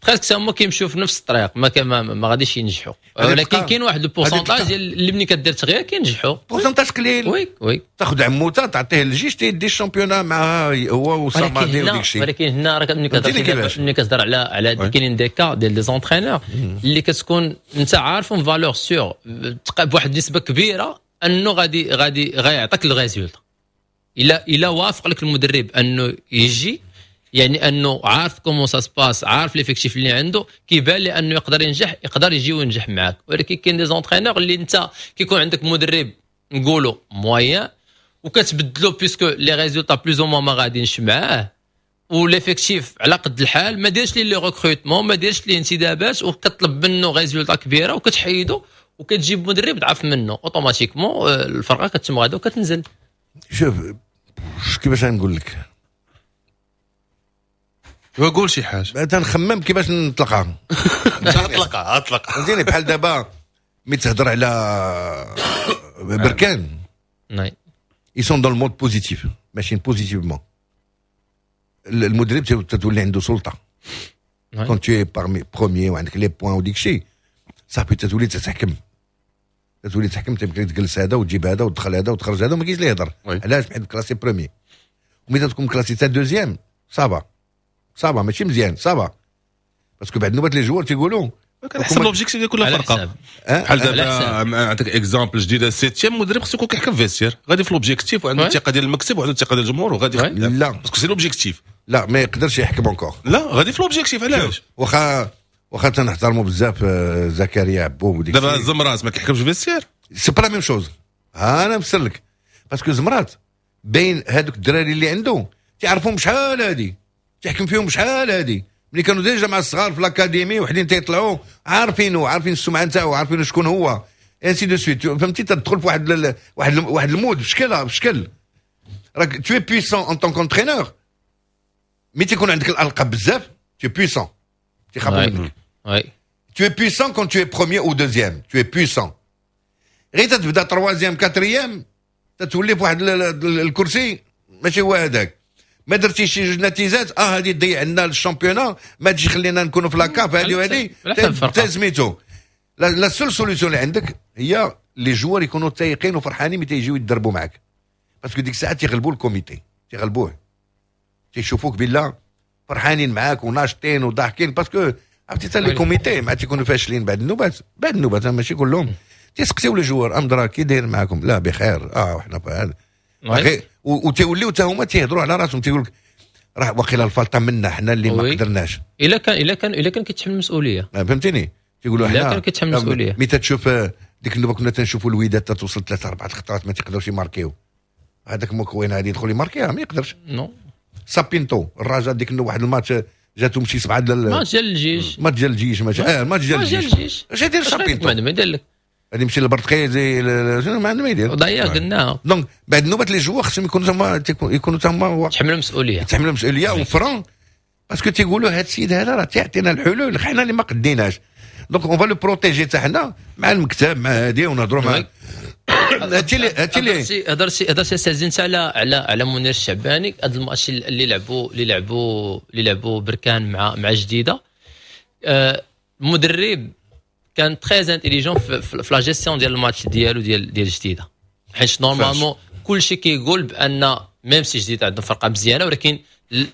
presque هما كيمشيو في نفس الطريق، ما غاديش ينجحوا، ولكن كاين واحد ال pourcentage ديال اللي ملي كدير تغيير كينجحوا. pourcentage قليل. oui. تاخذ عموتة تعطيه الجيش تيدي ال championnat مع هو وصامادي وديك الشيء. ولكن هنا راه ملي كتهضر على كاينين des cas ديال des entraîneurs اللي كتكون انت عارفهم valeur sûre بواحد النسبة كبيرة انه غادي غيعطيك ال résultat. الا وافق لك المدرب انه يجي، يعني انه عارف comment ça se passe، عارف l'effectif اللي عنده، كيبان لي انه يقدر ينجح، يقدر يجي وينجح معاك. ولكن كاين des entraîneurs اللي انت كيكون عندك مدرب نقولوا moyen وكتبدلو puisque les résultats plus ou moins ما غاديينش معاه و l'effectif على قد الحال، ما ديرش لي les recrutements، ما ديرش لي انتدابات، وكتطلب منه résultat كبيرة وكتحيدو وكتجيب مدرب ضعف منه، automatiquement الفرقة كتم غادا وكتنزل. شوف كيفاش نقول لك. قول شي حاجه. تنخمم كيفاش نطلقها. اطلقها اطلقها. فهمتيني، بحال دابا ملي تهضر على بركان، ils sont dans le mode positif، ماشيين positivement، المدرب تولي عنده سلطه. quand tu es parmi premiers وعندك les points وديك الشيء، صافي تتولي تحكم، تيمكن تجلس هذا وتجيب هذا وتدخل هذا وتخرج هذا وما كاينش اللي يهضر. علاش؟ حيت classé premier. وملي تكون classé تا deuxième ça va. ça va ماشي مزيان، ça va parce que بعد نوبات les joueurs تيقولوا كنحسب l'objectif ديال كل فرقه. بحال دابا نعطيك exemple جديده، septième مدرب خصو يكون كيحكم vestiaire، غادي في l'objectif وعنده الثقة ديال المكتب وعنده الثقة ديال الجمهور وغادي. لا parce que c'est l'objectif. لا ما يقدرش يحكم encore. لا غادي في l'objectif، علاش؟ واخا تنحترموا بزاف زكريا عبوب وديك. دابا زمرات ما كيحكمش vestiaire؟ c'est pas la même chose. انا نفسر لك، parce que زمرات بين هذوك الدراري اللي عنده تعرفهم شحال هادي، تحكم فيهم شحال هادي ملي كانوا déjà مع الصغار في l'académie، وحدين تيطلعوا عارفينه، عارفين السمعة نتاعو، عارفين شكون هو، ainsi de suite، فهمتي؟ تدخل في واحد ال mode بشكل راك tu es puissant en tant qu'entraîneur. mais تيكون عندك الالقاب بزاف tu es puissant، تيخافوا منك. tu es puissant quand tu es premier ou deuxième، tu es puissant. غير تبدا troisième quatrième تتولي في واحد الكرسي ماشي هو هذاك. ما درتي شي جوج نتيجات، هذه تضيع لنا ال championnat، ما تجي خلينا نكونوا في la CAF هذه وهذه سميتو. la seule solution اللي عندك هي les joueurs يكونوا تايقين وفرحانين ملي تيجيو يدربوا معاك، parce que ديك الساعة تيغلبوا ال comité، تيغلبوه، تيشوفوك بالله فرحانين معاك وناشطين وضاحكين، parce que عرفتي حتى les comités مع تيكونوا فاشلين بعد النوبات، بعد النوبات ماشي كلهم، تيسقسيو les joueurs امدرا كي داير معاكم؟ لا بخير، وحنا هذا، وتيوليو حتى هما تيهضروا على راسهم، تيقول لك راه واقيلا الفلطه منا حنا اللي ما قدرناش. الا كان كيتحمل المسؤوليه. فهمتيني؟ تيقولوا حنا الا كان كيتحمل المسؤوليه. mais تشوف ديك النوبة كنا تنشوفوا الوداد توصل ثلاثة اربعة خطرات ما تيقدروش يماركيو، هذاك موكوين غادي يدخل يماركيها ما يقدرش. non. سابينتو الرجاء ديك النوبة واحد الماتش جاتهم شي سبعة ديال ماتش ديال الجيش. ماتش ديال الجيش، ماتش ماتش ديال الجيش. اش يدير سابينتو؟ ما يدير لك. غادي يمشي للبرتقيزي، ما عنده ما يدير. ضيع قلناها. donc بعد نوبه les joueurs خصهم يكونوا تما يتحملوا المسؤوليه. يتحملوا المسؤولية و francs، parce que تيقولوا هذا السيد هذا راه تيعطينا الحلول، حنا اللي ما قديناش، donc on va le protéger حتى حنا مع المكتب مع هادي ونهضروا مع هادشي اللي هضرتي سازين على منير الشعباني. هذا الماتش اللي لعبوا بركان مع جديده، المدرب كان très intelligent في la gestion ديال الماتش ديالو ديال جديده، حيت normalement كلشي كيقول بان même si جديدة عندهم فرقه مزيانه، ولكن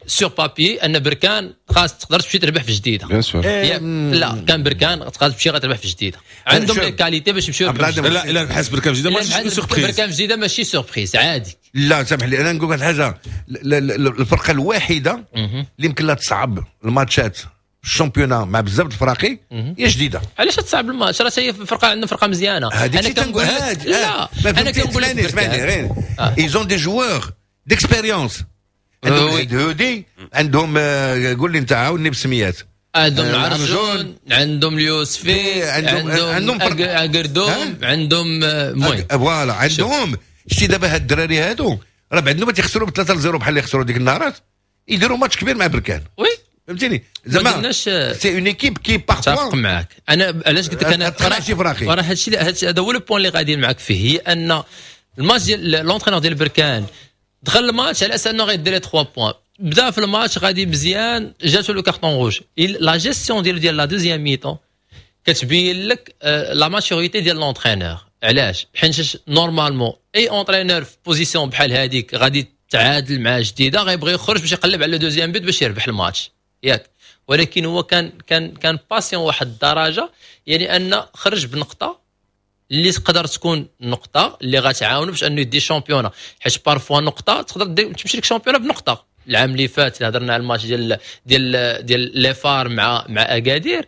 sur papier ان بركان خاص تقدر تمشي تربح في جديده. bien sûr. لا كان بركان تقدر تمشي غتربح في جديده، عندهم les qualités باش يمشيو. لا الا ربحات بركان في جديدة ماشي surprise. بركان في جديدة ماشي surprise، عادي. لا سامح لي، انا نقول لك حاجه، الفرقة الوحيدة اللي يمكن لها تصعب الماتشات ال championnat مع بزاف الفراقي هي جديده. علاش تصعب الماتش؟ راه هي فرقه، عندنا فرقه مزيانه. انا كنقول لا انا كنقول لك اسمعني، غير ils ont des joueurs d'expérience، عندهم هودي، عندهم قول لي انت عاوني بسميات. عندهم العرجون، عندهم اليوسفي، عندهم اكردوم، عندهم المهم. voilà عندهم. شتي دابا هاد الدراري هادو راه بعد ما تيخسروا ب 3-0 بحال اللي خسروا ديك النهارات، يديروا ماتش كبير مع بركان. oui. فهمتيني؟ زعما c'est une équipe qui parfois متفق معاك. انا علاش قلت لك انا راه هادشي هذا هو le point اللي غادي معاك فيه، هي ان الماتش ديال l'entraîneur ديال بركان دخل الماتش على اساس انه غيدير 3 points، بدا في الماتش غادي مزيان، جاتو le carton rouge. la gestion ديال la deuxième mi-temps كتبين لك la maturité ديال l'entraîneur. علاش؟ حيت normalement اي entraîneur في position بحال هذيك غادي تعادل مع جديدة غيبغي يخرج باش يقلب على deuxième but باش يربح الماتش، ياك؟ ولكن هو كان patient واحد الدرجه، يعني ان خرج بنقطة اللي تقدر تكون نقطة اللي غتعاونو باش انه يدي championnat، حيت parfois نقطة تقدر تمشي لك championnat بنقطه. العام اللي فات هضرنا على الماتش ديال les FAR مع اكادير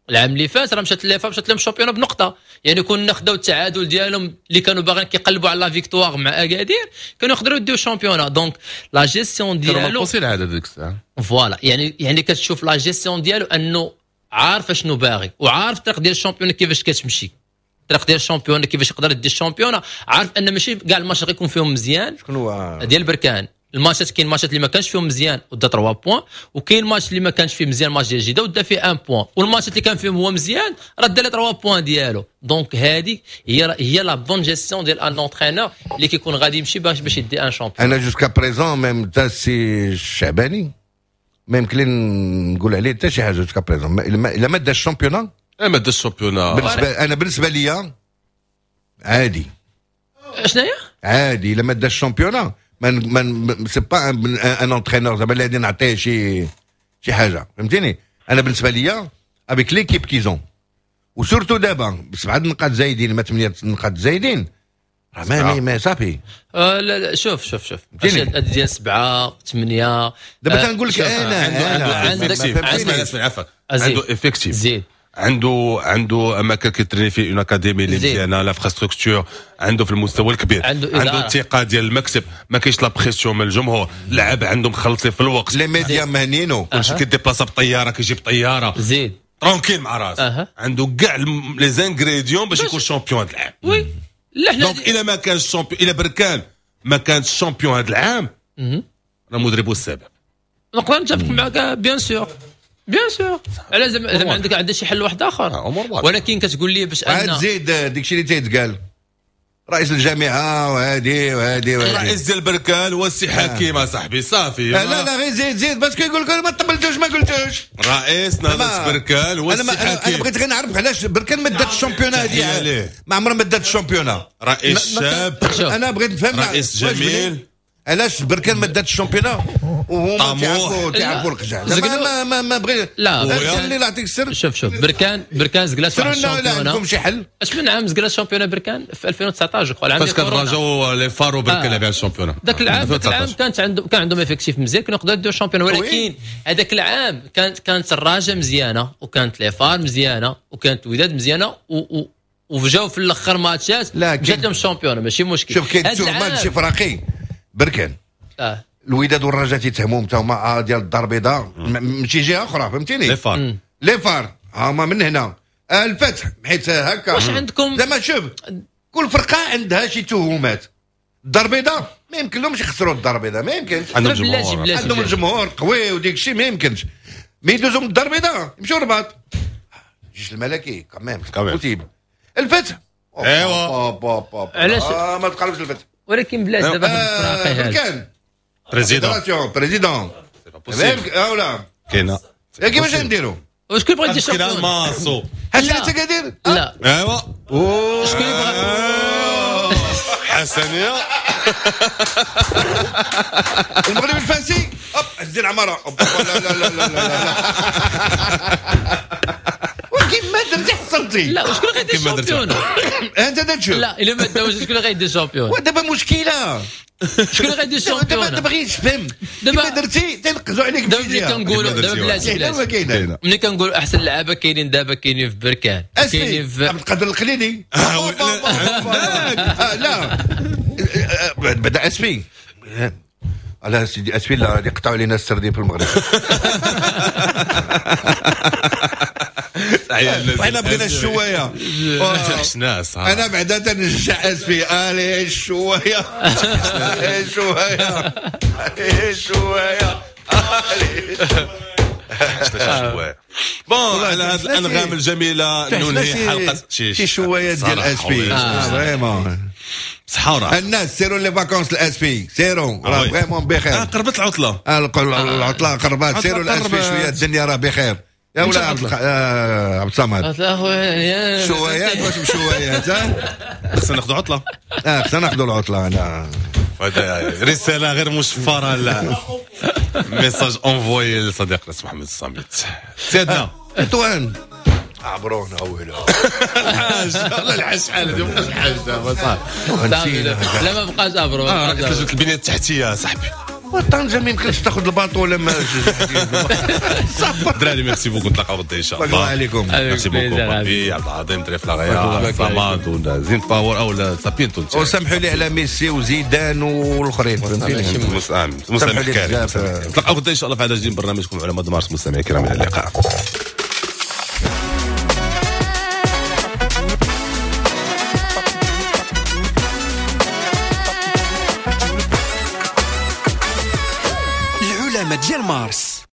العام اللي فات، راه مشات les FAR مشات لهم championnat بنقطه. يعني كنا خداو التعادل ديالهم اللي كانوا باغيين كيقلبوا على la victoire مع اكادير، كانوا يقدروا يديو championnat. donc la gestion ديالو العادة ديك الساعه. voilà، يعني كتشوف la gestion ديالو انه عارف شنو باغي وعارف الطريق ديال ال championnat كيفاش كتمشي، الطريق ديال ال championnat كيفاش يقدر يدي ال championnat. عارف ان ماشي كاع الماتش غيكون فيهم مزيان. شكون هو؟ ديال بركان. الماتشات كاين ماتشات اللي ما كانش فيهم مزيان ودا 3 points، وكاين ماتش اللي ما كانش فيه مزيان، ماتش ديال جديده، ودا فيه 1 point، والماتشات اللي كان فيهم هو مزيان راه دا 3 points ديالو. donc هذه هي la bonne gestion ديال un entraîneur اللي كيكون غادي يمشي باش يدي un championnat. انا jusqu'à présent même تا سي الشعباني ما يمكن لي نقول عليه حتى شي حاجة jusqu'à présent الا ما دا ال championnat. ما دا ال championnat. بالنسبه ليا عادي. شنو هي؟ عادي الا ما دا ال championnat، ما c'est pas un entraîneur زعما اللي غادي نعطيه شي شي حاجة، فهمتيني؟ انا بالنسبة ليا avec l'équipe qu'ils ont و surtout دابا بسبعة نقاط زايدين ما 8 نقاط زايدين، راه ما صافي. لا لا، شوف شوف شوف، ديال 7 8 دابا تنقول لك انا عندك عفاك، عنده effectif زيد، عنده اماكن كيتريني فيه، une académie اللي مزيانه، l'infrastructure عنده في المستوى الكبير، عنده الثقة ديال المكتب، ما كاينش la pression من الجمهور، لعب عندهم مخلصين في الوقت، les médias مهنينو، كلشي كيديبلاصا بطيارة، كيجي بطيارة زيد tranquille مع راسه، عنده كاع les ingrédients باش يكون champion هذا العام. oui لا حنا donc الا ما كانش champion، الا بركان ما كانش champion هذا العام، راه مدربو السبب. نقدر نتفق معك bien sûr bien sûr، على زعما عندك شي حل واحد اخر، ولكن كتقول لي باش ان زيد داكشي اللي تيتقال رئيس الجامعة وهادي وهادي وهادي، رئيس ديال بركان هو السي حكيم صاحبي صافي. لا لا غير زيد زيد parce que يقول لك ما طبلتوش ما قلتوش. رئيس نهضة بركان هو السي حكيم. انا بغيت غير نعرف علاش بركان ما دات ال championnat هادي، ما عمرها ما دات ال championnat. رئيس شاب، انا بغيت نفهم رئيس جميل، علاش بركان ما دات ال championnat وهما تيعرفوا القجع. ما ما ما بغيت لا اللي نعطيك السر. شوف شوف بركان زقلات واحد ال championnat، عندكم شي حل؟ اش من عام زقلات ال championnat بركان؟ في 2019 جو العام فاش كان الرجاء les FAR وبركان لعب على ال championnat ذاك العام. ذاك العام كانت عندهم كان عندهم effectif مزيان، كانوا يقدروا يديروا ال championnat، ولكن هذاك العام كانت الرجاء مزيانه وكانت les FAR مزيانه وكانت الوداد مزيانه وجاو في الاخر ماتشات جات لهم ال championnat ماشي مشكل. شوف كاين ماتش فراقي بركان الوداد والرجاء تيتهموا حتى هما ديال الدار البيضاء ماشي جهة اخرى، فهمتيني؟ les FAR هما من هنا الفتح حيت هكا. واش عندكم زعما؟ شوف كل فرقه عندها شي تهمات. الدار البيضاء ما يمكن لهمش يخسروا الدار البيضاء، ما يمكنش، عندهم الجمهور، عندهم الجمهور قوي وديك الشيء ما يمكنش. mais يدوزوا من الدار البيضاء يمشيو الرباط، الجيش الملكي quand même possible. الفتح ايوا علاش ما تقربش الفتح؟ ولكن بلاش دابا الفراقي هذا كان président président ولا كاينه كيفاش نديرو؟ وشكون بغى يدير champion؟ ماسو حسن انت كدير؟ لا ايوا شكون بغى حسنيه المغرب الفاسي hop عزيز العمارة لا لا لا لا لا وكيما درتي حصلتي. لا وشكون غيدير ال champion؟ انت تشوف. لا الا ما داوش شكون غيدير ال champion؟ ودابا مشكلة شكون غيدير ال champion؟ دابا دابا تفهم دابا درتي تنقزوا عليك. دابا ملي كنقولوا دابا بلاتي بلاتي ملي كنقولوا احسن لعابه كاينين دابا كاينين في بركان كاينين في عبد القادر القليلي لا بدا اسفي على سيدي اسفي لا غادي يقطعوا علينا السردين في المغرب. وحنا بغينا الشوايه انا بعدا تنشجع اسفي الي الشوايه الشوايه الشوايه الشوايه. bon على هذه الانغام الجميلة ننهي حلقة شي شوايه ديال اسفي vraiment صحة. الناس سيروا les vacances الاسفي سيروا راه vraiment بخير. قربت العطلة العطلة قربت، سيروا الاسفي شوية الدنيا راه بخير. يا ولا عبد الصمد شويات واش مشويات؟ خصنا ناخذ عطله. خصنا ناخذ العطلة. انا رسالة غير مشفرة لا message envoyé لصديقنا محمد الصامت سيدنا تطوان عبرونا ولا الحاج والله الحاج شحال هذه ما بقاش الحاج دابا صافي. لا ما بقاش عبرو راه البنية التحتية صاحبي. طنجة ما يمكنش تاخذ ال bateau ولا ما دراري merci beaucoup نتلاقاو غدا ان شاء الله. الله عليكم merci beaucoup بابي عبد العظيم دري فلاغيا صمد ولا زين باور او سابينتو. وسامحوا لي على ميسي وزيدان والاخرين مسامح كريم. نتلاقاو غدا ان شاء الله في عدد جديد من برنامجكم علماء مارس. مستمعي الكرام الى اللقاء. ديال مارس.